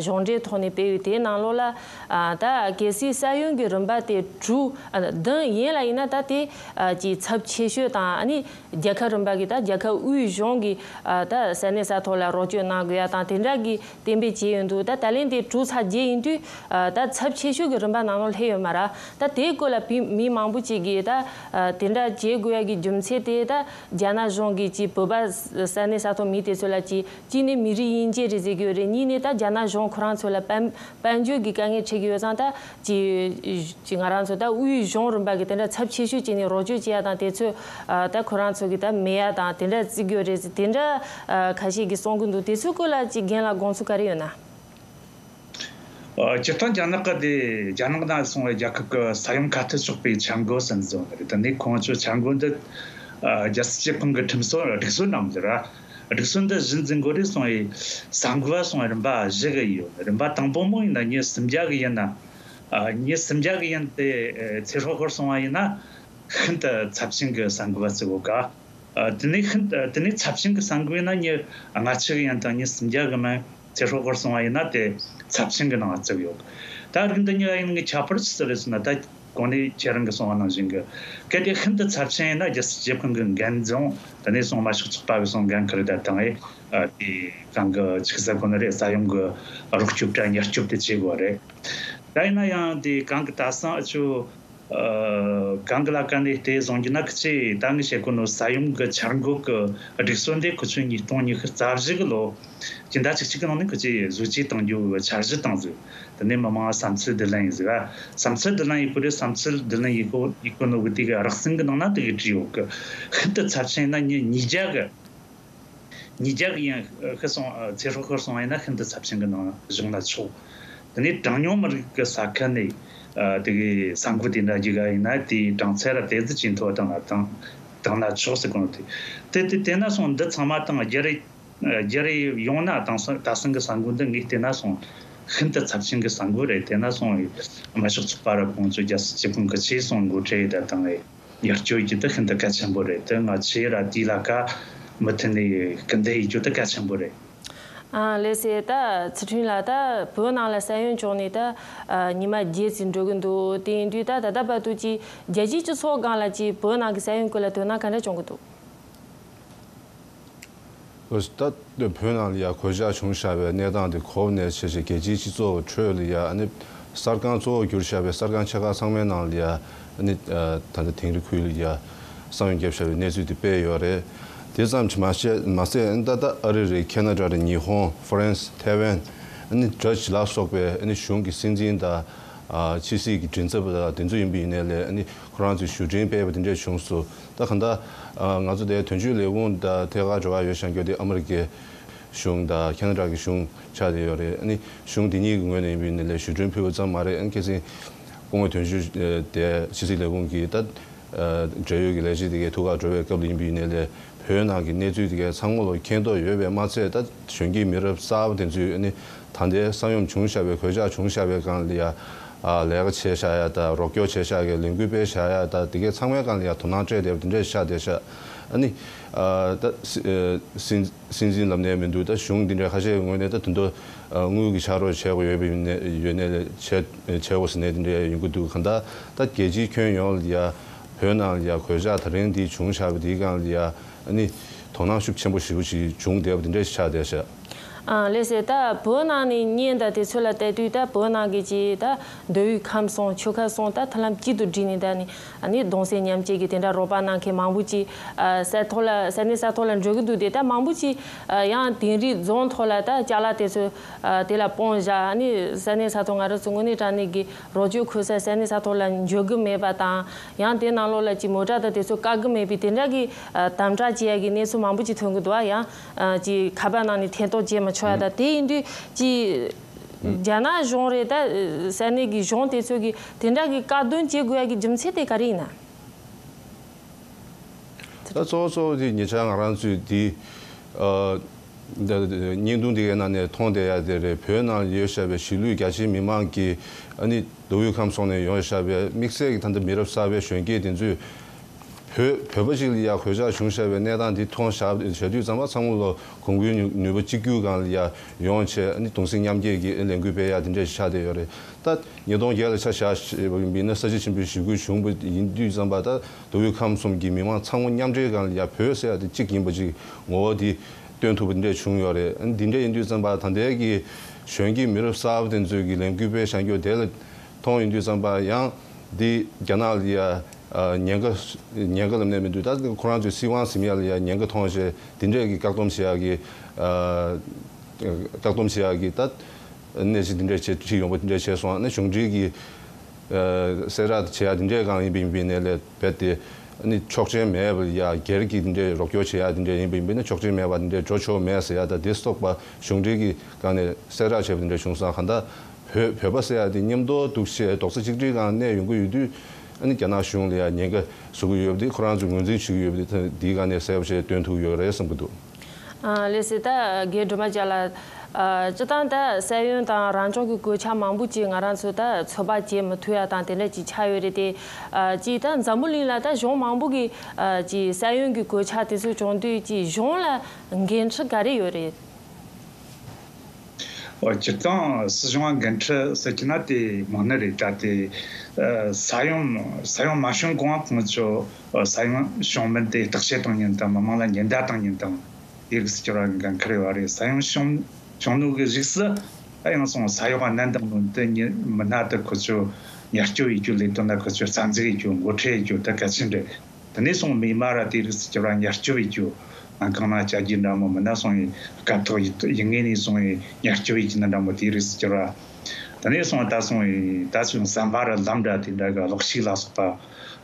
གཞུང་འབྲེལ་ཐོག་ནས་སྤེལ་ཡོད། དེའི་ནང་ལོགས་ལ། ཨ། ད་གལ་སྲིད་ས་ཡོམ་གྱི་རིམ་པ་དེ་དྲུག་ཨ། བདུན་ཡན་ལ་ཡིན་ན། ད་དེ་ཨ། ཀྱི་ཚབས་ཆེ་ཤོས་དང་། ཨ་ནི་རྒྱལ་ཁབ་རིམ་པ་གི་ད་རྒྱལ་ཁབ་དབུས་གཞུང་གི་ཨ། ད་ས་གནས་ས་ཐོག་ལ་རོགས་སྐྱོར་གནང་དགོས་ཡ་དང་དེ་འདྲ་གི་གཏན་འབེབས་བྱས་ཡོད་འདུག་ད་ད་ལན་དེ་དྲུག་ཚེག་བརྒྱད་ཡིན་དུས། ཨ། ད་ཚབས་ཆེ་ཤོས་ཀྱི་རིམ་པ་ནང་ལ་སླེབས་ཡོད་མ་རེད། ད་དེའི་སྐོར་ལ་བི་མི་མང་པོ་ཅིག་གིས་ད་ཨ། དེ་འདྲ་བྱེད་དགོས་ཡ་གི་རྒྱུ་མཚན་དེ་ད་རྒྱ་ནག་གཞུང་གིས་ཅིག་བོད་ པ་ས་གནས་ས་ཐོག་མི་དེ་ཚོ་ལ་ཅིག་གཅིག་ནས་མི་རིགས་དབྱེ་འབྱེད་རེད་ཟེར་གྱི་ཡོད་རེད། གཉིས་ནས་ད་རྒྱ་ནག་གཞུང་ཁོ་རང་ཚོ་ལ་དཔལ་དཔལ་འབྱོར་གྱི་དཀའ་ངལ་འཕྲད་ཀྱི་ཡོད་ཙང་། ད་ཅིག་ཅིག་ང་རང་ཚོ་ད་དབུས་གཞུང་རིམ་པ་གི་དེ་འདྲ་ཚབས་ཆེ་ཤོས་ཅིག་ནས་རོགས་སྐྱོར་བྱེད་ཡ་དང་། དེ་ཚོ་ཨ་ད་ཁོ་རང་ཚོ་གི་ད་མེད་ཡ་དང་དེ་འདྲ་བརྩི་གི་ཡོད་རེད་ཟེར། དེ་འདྲ་ཨ་ཁ་ཤས་ཀྱིས་གསུང་གི་འདུག་དེ་ཚོའི་སྐོར་ལ་ཅིག་རྒན་ལགས་དགོངས་ཚུལ་ག་རེ་ཡོད་ན། ཨ། སྤྱིར་བཏང་རྒྱ་ནག་གི་དེ་རྒྱ་ནག་ནང་སོང་བའི་རྒྱལ་ཁབ་ཀྱི་ས་ཡོམ་ཁ་གཏད་གཅོག་པའི་འཆར་འགོད་ཟེར་ནི་བཟོ་ནི་རེད། དེ་ནས་ཁོང་ཚོའི་འཆར་འགོད་འདི། ཨ། རྒྱལ་སྲིད་སྤྱི་ཁང་གི་ཁྲིམས་སྲོལ་སྒྲིག་སྲོལ་ནང་ཟེར་ར། སྒྲིག་སྲོལ་འདི་གཞི་འཛིན་དགོས་རེད་གསུངས་པའི་གསར་འགོད་པ་སོང་བའི་རིམ་པ་བཞི་གི་ཡོད། རིམ་པ་དང་པོ་མོ་ཡིན་ན་ཉིན་སུམ་བརྒྱ་གི་ཡིན་ན། ཨ། ཉིན་སུམ་བརྒྱ་གི་ཡིན་ཏེ། ཨ། ཚེ་སྲོག་ཤོར་སོང་བ་ཡིན་ན་ཤིན་ཏུ་ཚབས་ཆེན་གྱི་གསར་འགོད་པ་བརྩི་དགོས་ཀ་ཨ། དེ་ནས་ཤིན་ཏུ་དེ་ནས་ཚབས་ཆེན་གྱི་གསར་འགོད་ཡིན་ན་ཉིན་ལྔ་བཅུ་གི་ཡིན་དང་ཉིན་སུམ་བརྒྱ་གི་མིན་ཚེ་སྲོག་ཤོར་སོང་བ་ཡིན་ན་དེ་ཚབས་ཆེན་གྱི་ནང་བརྩི་གི་ཡོད། ད་རིགས་འདི་གཉིས་ཀ་ཡིན་ནའི་ཁྱད་པར་ཅི་ཟིག་རེད་ཟེར་ན། ད་གོང་ནས་ཁྱེད་རང་གིས་གསུངས་པ་ནང་བཞིན་གྱི་གལ་ཏེ་ཤིན་ཏུ་ཚབས་ཆེན་ཡིན་ན་རྒྱལ་སྲིད་སྤྱི་ཁང་གི་འགན་རྫོང་དེ་ནས་སོང་དམར་ཤོག་ཚོགས་པ་གིས་སོང་འགན་ཁུར་ད་བཏང་ཨེ། ཨ། དེ་གང་གི་ཆི་ཟེར་གོ་ནི་རེད། ས་ཡོམ་གྱི་རོགས་སྐྱོབ་དྲ་ཉེན་སྐྱོབ་དེ་བྱེད་དགོས་རེད། ད་ཡིན་ན་ཡང་དེ་གང་གི་ད་སང་ཨ་ཆུ། ཨ། གང་གི་ལ་ཀ་ནས་དེ་བཟུང་རྒྱུ་ན། ཁི་ཆོས་ད་ངས་བཤད་གོ་ནོ་ས་ཡོམ་གྱི་འཆར་འགོད་ཀྱི་སྒྲིག་སྲོལ་འདི་ཁོ་ཚོས་ཉིས་སྟོང་ཉི་ཤུ་རྩ་བཞི་གི་ལོ་སྤྱི་ཟླ་བཅུ་གཅིག་གི་ནང་ནས་ཁོ་ཚོས་བཟོ་བཅོས་གཏང་རྒྱུ་གི་འཆར་གཞི་བཏང་ཟིག་དེ་ནས་མི་མང་བསམ་ཚུལ་བསྡུ་ལེན་ཡིན་ཟིག་ཨ། བསམ་ཚུལ་བསྡུ་ལེན་ཡིན་གོ་རེད། བསམ་ཚུལ་བསྡུ་ལེན་ཡིན་གོ་ཡིན་གོ་ནོ་གི་དེ་གི་རགས་ཟིན་གི་ནང་ན་དེ་གི་བྲིས་ཡོད་གི་ཤིན་ཏུ་ཚབས་ཆེན་ན་ཉིན་ཉིས་བརྒྱ་གི་ཉིས་བརྒྱ་གི་ཡང་ཤི་སོང་། ཚེ་སྲོག་ཤོར་སོང་བ་ཡིན་ན་ཤིན་ཏུ་ཚབས་ཆེན་གྱི་ནང་བཞུགས་ན་ཆོག་དེ་ནས་གྲངས་ཉུང་མི་རིགས་ཀྱི་ས་ཁུལ་ནས་དེ་གའི་ས་འགུལ་དེ་འདྲ་རྒྱུག་ག་ཡིན་ན་དེའི་གྲངས་ཚད་ར་དེ་ཙི་ཇེ་མཐོ་བཏང་ན་བཏང་བཏང་ན་ཆོག་ཟེར་གོ་ནོ་དེ། དེ་དེ་དེ་ན་སོང་འདི་ཚང་མ་བཏང་རྒྱ་རི་རྒྱ་རི་ཡོང་ན་དང་སང་ད་སང་གི་ས་འགུལ་འདི་ངས་བལྟས་ན་སོང་ཤིན་ཏུ་ཚབས་ཆེན་གྱི་ས་འགུལ་རེད། དེ་ན་སོང་དམར་ཤོག་ཚོགས་པ་ར་ཁོང་ཚོ་རྒྱལ་སྲིད་སྤྱི་ཁང་གི་ཆེད་སོང་འགོ་ཁྲིད་ད་བཏང་ངས། ཡར་སྐྱོད་རྒྱུ་དེ་ཤིན་ཏུ་གལ་ཆེན་པོ་རེད། དེ་ང་ཚོས་ར་དེའི་ལ་ཀ་མུ་མཐུད་ནས་སྐུལ་འདེད་ཡེད་རྒྱུ་དེ་གལ་ཆེན་པོ་རེད། ཨ། ལགས་སེ། ད་ཚུལ་ཁྲིམས་ལགས། ད་བོད་ནང་ལ་ས་ཡོམ་བྱུང་ནས་ད་ཨ་ཉི་མ་བརྒྱད་ཙམ་འགྲོ་གི་འདུག་དེ་ཡིན་དུས་ད་ད་ལྟ་བར་དུ་ཅིག་རྒྱལ་སྤྱིའི་སྤྱི་ཚོགས་སྒང་ལ་ཅིག་བོད་ནང་གི་ས་ཡོམ་སྐོར་ལ་དོ་སྣང་ག་འདྲ་བྱུང་གི་འདུག་ད་བོད་ནང་ལ་ཡ་གོད་ཆག་བྱུང་བཞག་པའི་གནས་སྟངས་དེ་གོ་བ་ནས་བྱས་བྱས་རྒྱལ་སྤྱིའི་སྤྱི་ཚོགས་ཁྲོད་ལ་ཡ་ཨ་ནི་གསར་ཁང་གཙོ་བོ་གྱུར་བཞག་པའི་གསར་ཁང་ཆེ་ཁག་ཚང་མའི་ནང་ལ་ཡ་ཨ་ནི་ད་ལྟ་དིང་རི་ཁུལ་ལ་ཡ་ས་ཡོམ་བརྒྱབ་བཞག་པའི་གནས་ཚུལ་དེ་སྤེལ་ཡོད་རེད། དེ་ཙམ་གྱིས་མ་བཤད་མ་ཟད་ཨ་ནི་ད་ལྟ་ཨ་རི་རེད། ཁེ་ན་ཌ་རེད། ཉི་ཧོང་། ཧྥ་རན་སི། ཐའེ་ཝན། ཨ་ནི་ཌ་ཅི་ལ་སོགས་པའི་ཨ་ནི་གཞུང་གི་སྲིད་འཛིན་དང་། ཨ། ཕྱི་སྲིད་ཀྱི་མགྲིན་ཚབ་དང་དེ་ཚོ་ཡིན་པ་ཡིན་ནའི་ལས་ཨ་ནི་ཁོ་རང་ཚོས་ཞུ་འཕྲིན་སྤེལ་བ་དེ་འདྲས་བྱུང་སོང་། ད་གང་ལྟར་ཨ་ང་ཚོ་དེ་དོན་གཅོད་ལས་ཁུངས་དང་ཐད་ཀར་འབྲེལ་བ་ཡོད་བཞག་རྒྱུ་དེ་ཨ་མི་རི་ཀའི་གཞུང་དང་ཁེ་ན་ཌ་གི་གཞུང་ཆགས་བསྡད་ཡོད་རེད། ཨ་ནི་གཞུང་དེ་གཉིས་ཀྱི་ངོས་ནས་ཡིན་པ་ཡིན་ནའི་ལས་ཞུ་འཕྲིན་ཕུལ་བ་ཙམ་མ་རེད། ཨ་ནི་ཁ་སང་སྐུ་ངོ་དོན་གཅོད་དེ་ཕྱི་སྲིད་ལས་ཁུངས་ཀྱི་ད་འབྲེལ་ཡོད་ཀྱི་ལས་བྱེད་དེ་གའི་ཐུག་གར་འགྲོ་བའི་སྐབས་ལ་ཡིན་པ་ཡིན་ནའི་ལས་བོད་ནང་གི་གནས་ཚུལ་དེ་གའི་ཚང་མ་ལོ་མཁྱེན་རྟོགས་ཡོད་པས་མ་ཚད། ད་གཞོན་སྐྱེས་མི་རབས་གསར་པ་དེ་ཚོས་ཨ་ནི་ད་ལྟའི་ས་ཡོམ་བྱུང་བཞག་པའི་གོད་ཆག་བྱུང་བཞག་པའི་སྒང་ལ་ཡ་ཨ་ལས་ཀ་བྱས་བཞག་ཡ་དང་རོགས་སྐྱོར་བྱས་བཞག་གི་ལས་འགུལ་སྤེལ་བཞག་ཡ་དང་དེ་གའི་ཚང་མའི་སྒང་ལ་ཡ་དོ་སྣང་སྤྲད་བསྡད་པ་དེ་འདྲས་ཆགས་བསྡད་ཤག་ཨ་ནི་ཨ་ད་སྲིད་སྲིད་འཛིན་ལབ་ནའི་མི་འདུག་ད་གཞུང་འདི་འདྲས་ཁ་ཤས་ཀྱི་ངོས་ནས་ད་དོན་དུ་དངུལ་གྱི་ཕྱག་རོགས་བྱེད་དགོས་ཡོད་པ་ཡིན་ནའི་ཡོད་ནའི་བྱེད་བྱེད་དགོས་ཟེར་ནའི་དེ་འདྲས་ཡོང་གི་འདུག་གང་ལྟར་ད་རྒྱལ་སྤྱིའི་ཁྱོན་ཡོངས་ལ་ཡ་བོད་ནང་ལ་ཡ་གོད་ཆག་ད་རིང་འདི་བྱུང་བཞག་པ་འདིའི་སྒང་ལ་ཡ་ཨ་ནི་དོ་སྣང་ཤུགས་ཆེན་པོ་ཞེ་པོ་ཞིག་བྱུང་བསྡད་པ་དེ་འདྲ་ཞིག་ཆགས་བསྡད་ཤག་ཨ། ལགས་སེ། ད་བོད་ནང་ནས་བརྙན་དང་དེ་ཚོ་ལ་བལྟས་དུས་ད་བོད་ནང་གི་ཅིག་ད་མདོ་དབུས་ཁམས་གསུམ་ཆོལ་ཁ་གསུམ་ད་ཐབས་ལམ་གཅིག་ཏུ་བསྒྲིལ་ནས་ད་ནི་ཨ་ནི་གདུང་སེམས་མཉམ་སྐྱེད་ཀྱི་དེ་འདྲ་རོགས་པ་གནང་མཁན་མང་པོ་ཅིག་ཨ་ས་ཐོག་ལ་ས་གནས་ས་ཐོག་ལ་འགྲོ་གི་འདུག་དེ་ད་མང་པོ་ཅིག་ཨ་ཡང་དིང་རི་རྫོང་ཐོག་ལ་ད་ཅ་ལག་དེ་ཚོ་ཨ་དེ་ལ་སྤུངས་བཞག་ཨ་ནི་ས་གནས་ས་ཐོག་ང་རང་ཚོ་དངོས་གནས་དྲང་གནས་ཀྱི་རོགས་སྐྱོར་འཁོར་ས་ས་གནས་ས་ཐོག་ལ་འབྱོར་གི་མེད་པ་དང་། ཡང་དེ་ནང་ལོགས་ལ་ཅིག་མོ་ཊ་དང་དེ་ཚོ་བཀག་གི་མེད་པའི་དེ་འདྲ་གི་ཨ་དམ་དྲག་བྱེད་ཡ་གི་གནས་ཚུལ་མང་པོ་ཅིག་ཐོན་གི་འདུག་ཨ། ཡང་ཨ་ཅིག་ཁ་པར་ནང་ནས་ཐེ་གཏོགས་བྱེད་མི་ཆོག་ཡ་དང་། དེ་ཡིན་དུས་ཅིག་རྒྱ་ནག་གཞུང་རེད། ད་ས་གནས་ཀྱི་གཞུང་དེ་ཚོ་གིས་དེ་འདྲ་གི་བཀག་སྡོམ་བྱེད་དགོས་ཡ་གི་རྒྱུ་མཚན་དེ་ག་རེ་ཡིན་ན། ད་གཙོ་བོ་གཙོ་བོ་དེ་ཉེ་ཆར་ང་རང་ཚོས་དེ་ཨ་ད་བརྙན་ཐུང་དེ་གའི་ནང་ནས་མཐོང་བསྡད་ཡ་དེ་རེད། བོད་ནང་ཡོད་བཞག་པའི་གཞིས་ལུས་རྒྱ་ཆེའི་མི་མང་གིས་ཨ་ནི་མདོ་དབུས་ཁམས་གསུམ་ནས་ཡོང་བཞག་པའི་དམིགས་བསལ་གྱི་ད་ལྟ་མི་རབས་གསར་པའི་གཞོན་སྐྱེས་དེ་ཚོས་བོད་བོད་པ་ཞིག་ལ་ཡ་གོད་ཆག་བྱུང་བཞག་པའི་གནས་སྟངས་འདི་མཐོང་བཞག་བྱས་དུས་ཙམ་པ་ཚང་མ་ལོ་གོང་བུའི་ནུས་ནུས་པ་གཅིག་གྱུར་སྒང་ལ་ཡ་ཡོང་བྱས་ཨ་ནི་གདུང་སེམས་མཉམ་སྐྱེད་ཀྱི་ལས་འགུལ་སྤེལ་ཡ་དེ་འདྲ་ཞིག་ཆགས་བསྡད་ཡོད་རེད། ད་ཉིས་སྟོང་བརྒྱད་ལ་ཆ་བཞག་བཞག་པ་ཡིན་ན་ས་བྱི་ཞིང་པའི་ཞི་རྒོལ་བྱུང་བ་ཡིན་དུས་ཙམ་པ་ད་མདོ་དབུས་ཁམས་གསུམ་གྱི་མི་མང་ཚང་མ་མཉམ་འབྲེལ་སྒང་ལ་ཡ་བོད་ཟེར་ཡ་དེ་གཅིག་ཡིན་པ་ཅིག་ངོ་བོ་དེ་སྟོན་ཐུབ་པ་འདི་འདྲ་བྱུང་ཡོད་རེད། འདི་འདྲ་ཡིན་དུས་ཙམ་པ་ད་ལྟའི་གི་གཞོན་སྐྱེས་མི་རབས་གསར་པ་དེ་ཚོའི་གི་ལས་འགུལ་སྤེལ་བཞག་རྒྱུ་དེ་ལ་མཐོང་ཡོང་དུས་ཙམ་པ་ཡང་འདི་རྒྱ་ནག་ལ་ཡ་ ཉེན་ཁ་ཉེན་ཁ་ལབ་ནས་མི་འདུག་ད་ཁོ་རང་ཚོའི་སྲིད་དབང་ཟིན་ཡ་ལ་ཡ་ཉེན་ཁ་མཐོང་བྱས་དེ་འདྲས་ཀྱི་བཀག་སྡོམ་བྱེད་ཡ་གི་བཀག་སྡོམ་བྱེད་ཡ་གི་ད་གནས་ཚུལ་དེ་འདྲས་བྱས་ཁྲིད་ཡོང་པ་དེ་འདྲས་བྱས་སོང་། ཨ་ནི་གཞུང་འབྲེལ་གྱི་གསལ་བསྒྲགས་བྱེད་ཡ་དེ་འདྲས་གང་ཡིན་པ་ཡིན་པའི་ནས་ལས་རྦད་དེ་ཨ་ནི་ཆོག་མཆན་མེད་པ་ཡ་སྒེར་གྱི་དེ་འདྲས་རོགས་སྐྱོར་བྱེད་ཡ་དེ་འདྲས་ཡིན་པ་ཡིན་པའི་ནས་ཆོག་མཆན་མེད་པ་དེ་འདྲས་འགྲོ་ཆོག་མེད་ཟེར་ཡ་ད་དེ་སོགས་པ་གཞུང་འབྲེལ་གྱི་སྒང་ནས་གསལ་བསྒྲགས་བྱས་པ་དེ་འདྲས་བྱུང་སོང་། གང་ལྟར་བོད་བོད་པ་ཟེར་ཡ་དེ་མཉམ་དུ་འདུག་བྱས་རྡོག་རྩ་གཅིག་སྒྲིལ་སྒང་གནས་ཡོང་གི་ཡོད་དུས། ཨ་ནི་རྒྱ་ནག་གཞུང་ལ་ཡང་ཉེན་ཁ་བཟོ་གི་ཡོད་པ་དེ་ཁོ་རང་ཚོས་ངོས་འཛིན་བྱེད་ཀྱི་ཡོད་པ་དེ་དེའི་སྒང་ནས་གསལ་པོ་བྱས་སྟོན་ཐུབ་ཡོད་རེད་བསམ་གྱི་འདུག་ཨ་ལགས་སོ། ད་རྒན་སྒྲོལ་མ་རྒྱལ་ལགས། ཨ་སྤྱིར་བཏང་ད་ས་ཡོམ་དང་རང་སྐྱོང་གི་གོད་ཆག་མང་པོ་ཅིག་ང་རང་ཚོ་ད་ཚོད་དཔག་བྱེད་མི་ཐུབ་ཡ་དང་དེ་འདྲ་ཅིག་ཆགས་ཡོད་རེད་དེ། ཨ་ཅིག་ད་འཛམ་བུ་གླིང་ལ་ད་གཞུང་མང་པོ་གི་ཨ་ཅིག་ས་ཡོམ་གྱི་གོད་ཆག་དེ་ཚོ་བྱུང་དུས་ཅིག་གཞུང་ལ་འགན་འཁྲི་ག་རེ་ཡོད་རེད། ཨོ་སྤྱིར་བཏང་སྲིད་གཞུང་ལ་འགན་འཁྲི་ཟེར་གྱི་ན་དེ་མང་ནི་རེད། ད་དེ་ཨ་ས་ཡོམ་ས་ཡོམ་མ་བྱུང་གོང་ཁོང་ཚོ་ཨ་ས་ཡོམ་བྱུང་མིན་དེ་བརྟག་དཔྱད་གཏོང་མཁན་དང་མི་མང་ལ་ཉེན་བརྡ་གཏོང་མཁན་དང་དེ་རིགས་སུ་གྱུར་བ་འགན་འཁུར་ཡོད་རེད། ས་ཡོམ་བྱུང་བྱུང་ནོ་གི་རིགས་སུ་ད་ཡང་སོང་ས་ཡོམ་གནད་འགག་ནོ་དེ་ཉི་མི་སྣ་དེ་ཁོ་ཚོ་ཉར་སྐྱོབ་ཡེད་རྒྱུ་ལས་དོན་ལ་ཁོ་ཚོ་རྩ་འཛུགས་ཡེད་རྒྱུ་འགོ་ཁྲིད་ཡེད་རྒྱུ་དེ་གལ་ཆེན་རེད། དེ་ནས་སོང་མི་མ་ར་དེ་རིགས་སུ་གྱུར་བ་ཉར་སྐྱོབ་བྱེད་རྒྱུ། ཨ་གང་ན་བྱ་རྒྱུ་འདྲ་མོ་མིན་ན་སོང་ཡི་སྐབས་ཐོག་ཡི་ཡི་ངེས་ནས་སོང་ཡི་ཉར་སྐྱོབ་བྱེད་ཀྱི་ན་འདྲ་མོ་དེ་རིགས་སུ་གྱུར་བ། དེ་ནས་སོང་ད་སོང་ཡི་ད་ཚོད་ཟམ་པ་ར་ལམ་འདྲ་དེ་འདྲ་གི་གློག་ཤུགས་ལ་སོགས་པ་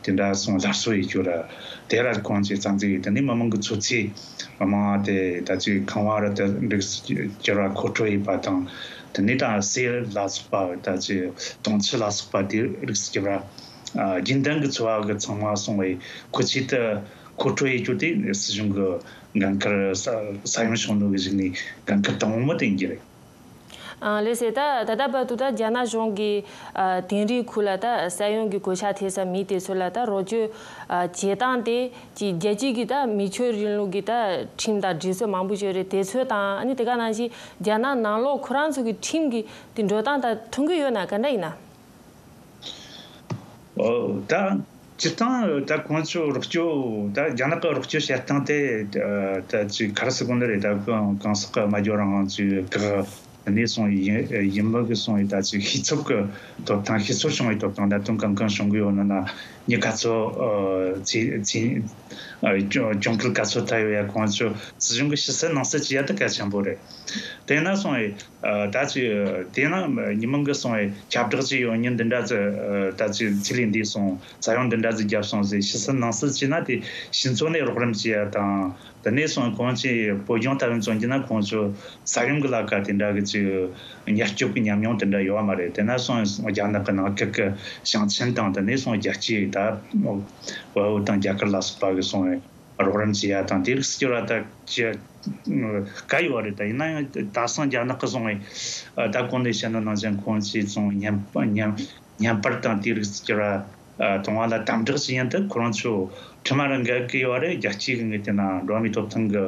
དེ་འདྲ་སོང་སླར་གསོ་བྱེད་རྒྱུ་ར། དེ་ར་ཁོང་ཚོས་རྩ་འཛུགས་ཡེད། དེ་ནས་མི་མང་གི་འཚོ་ཚིས་མི་མང་དེ་ད་ཚོད་ཁང་བ་ར་དེ་འགྲིག་སུ་གྱུར་བ་མཁོ་སྤྲོད་བྱེད་པ་དང་། དེ་ནས་ད་གསེར་ལ་སོགས་པ་ད་ཚོད་དུང་ཆུ་ལ་སོགས་པ་དེ་རིགས་སུ་གྱུར་བ། ཨ་རྒྱུན་ལྡན་གྱི་འཚོ་བ་གི་ཚང་མ་སོང་བའི་མཁོ་ཆས་དེ་མཁོ་སྤྲོད་ཡེད་རྒྱུ་དེ་སྲིད་གཞུང་གི་འགན་ཁུར། ས་ས་ཡོམ་བྱུང་ནོ་གི་གཞུག་ནས་འགན་ཁུར་དང་པོ་དེ་ཡིན་གྱི་རེད། ཨ་ལགས་སོ། ད་ད་ལྟ་བར་དུ་ད་རྒྱ་ནག་གཞུང་གིས་ཨ་དིང་རིའི་ཁུལ་ལ་ད་ས་ཡོམ་གྱི་གོད་ཆག་ཐེབས་ས་མི་དེ་ཚོ་ལ་ད་རོགས་སྐྱོར་ཨ་བྱེད་སྟངས་དེ་ཅིག་རྒྱལ་སྤྱི་གི་ད་མི་ཆོས་རིང་ལུགས་ཀྱི་ད་ཁྲིམས་དང་སྒྲིག་སྲོལ་མང་པོ་ཞིག་ཡོད་རེད། དེ་ཚོ་དང་ཨ་ནི་དེ་ག་ནང་བཞིན་རྒྱ་ནག་ནང་ལོགས་ཁོ་རང་ཚོ་གི་ཁྲིམས་ཀྱི་དེ་འགྲོ་སྟངས་དང་མཐུན་གྱི་ཡོད་ན་ག་འདྲ་ཡིན་ན། ཨོ་ད་སྤྱིར་བཏང་ད་ཁོང་ཚོ་རོགས་སྐྱོར་ད་རྒྱ་ནག་གི་རོགས་སྐྱོར་བྱེད་སྟངས་དེ་ད་ཅིག་ག་རེ་ཟེར་དགོས་ནི་རེད། ད་གང་གང་ཟག་གི་སྨྲ་བརྗོད་རང་དབང་ཚོའི་བཀག་དེ་ནས་སོང་ཡིན་ཡིན་མི་གི་སོང་ཡིན་ད་ཅིག་ཤེས་ཚབ་ཀྱི་ཐོབ་ཐང་ཤེས་ཚོར་བྱུང་བའི་ཐོབ་ཐང་ད་དུང་གང་གང་བྱུང་གི་ཡོད་ན་ན་མི་ག་ཚོད་ཚེ་ཚེ་གྱོང་གྱོང་གུད་ག་ཚོད་ཐེབས་ཡོད་ཡ་ཁོང་ཚོ་སྲིད་གཞུང་གི་ཕྱི་གསལ་ནང་གསལ་བྱེད་ཡ་དེ་གལ་ཆེན་པོ་རེད། དེ་ན་སོང་ཡིན། ཨ་ད་ཅི་དེ་ན་ཉི་མ་གི་སོང་བའི་ཁྱབ་བསྒྲགས་ཅིག་ཡོང་ཉིན་འདི་འདྲ་ཟིག་ཨ་ད་ཅི་ཚེ་ལས་འདས་སོང་ས་ཡོམ་འདི་འདྲ་ཟིག་བརྒྱབ་སོང་ཟེར་ཕྱི་སུ་ནང་སུ་བྱས་ན་དེ་ཕྱི་ཚོ་ནས་རོགས་རམ་བྱེད་ཡ་དང་དེ་ནས་སོང་གོང་ཅི་བོད་ལྗོངས་ལྟ་བུ་མཚོན་གྱི་ན་ཁོང་ཚོ་ས་ཡོམ་གི་ལ་ཀ་དེ་འདྲ་གི་ཅི་མྱུར་སྐྱོབ་ཀྱི་ཉམས་མྱོང་དེ་འདྲ་ཡོད་བ་མ་རེད། དེ་ན་སོང་རྒྱ་ནག་གི་ནང་ཁུལ་གི་ཞིང་ཆེན་དང་དེ་ནས་སོང་རྒྱལ་སྤྱིའི་ད་བལ་པོ་དང་རྒྱ་གར་ལ་སོགས་པ་གི་སོང་བའི། རོགས་རམ་བྱེད་ཡ་དང་དེ་རིགས་སུ་གྱུར་བ་ད་ཅི་དཀའ་ཡོད་རེད། ད་ཡིན་ན་ཡང་ད་སང་རྒྱ་ནག་གི་སོང་བའི་ད་གོང་ནས་བཤད་ན་ནང་བཞིན་ཁོང་ཚོས་སོང་བརྙན་བརྙན་བརྙན་པར་དང་དེ་རིགས་སུ་གྱུར་བ་གཏོང་བ་ལ་དམ་དྲག་བྱེད་ཡ་འདི་ཁོ་རང་ཚོ་ཁྲིམས་རང་འགལ་གི་ཡོད་རེད། རྒྱལ་སྤྱིའི་གི་ངོས་དེ་ན་འགྲོ་བ་མིའི་ཐོབ་ཐང་གི་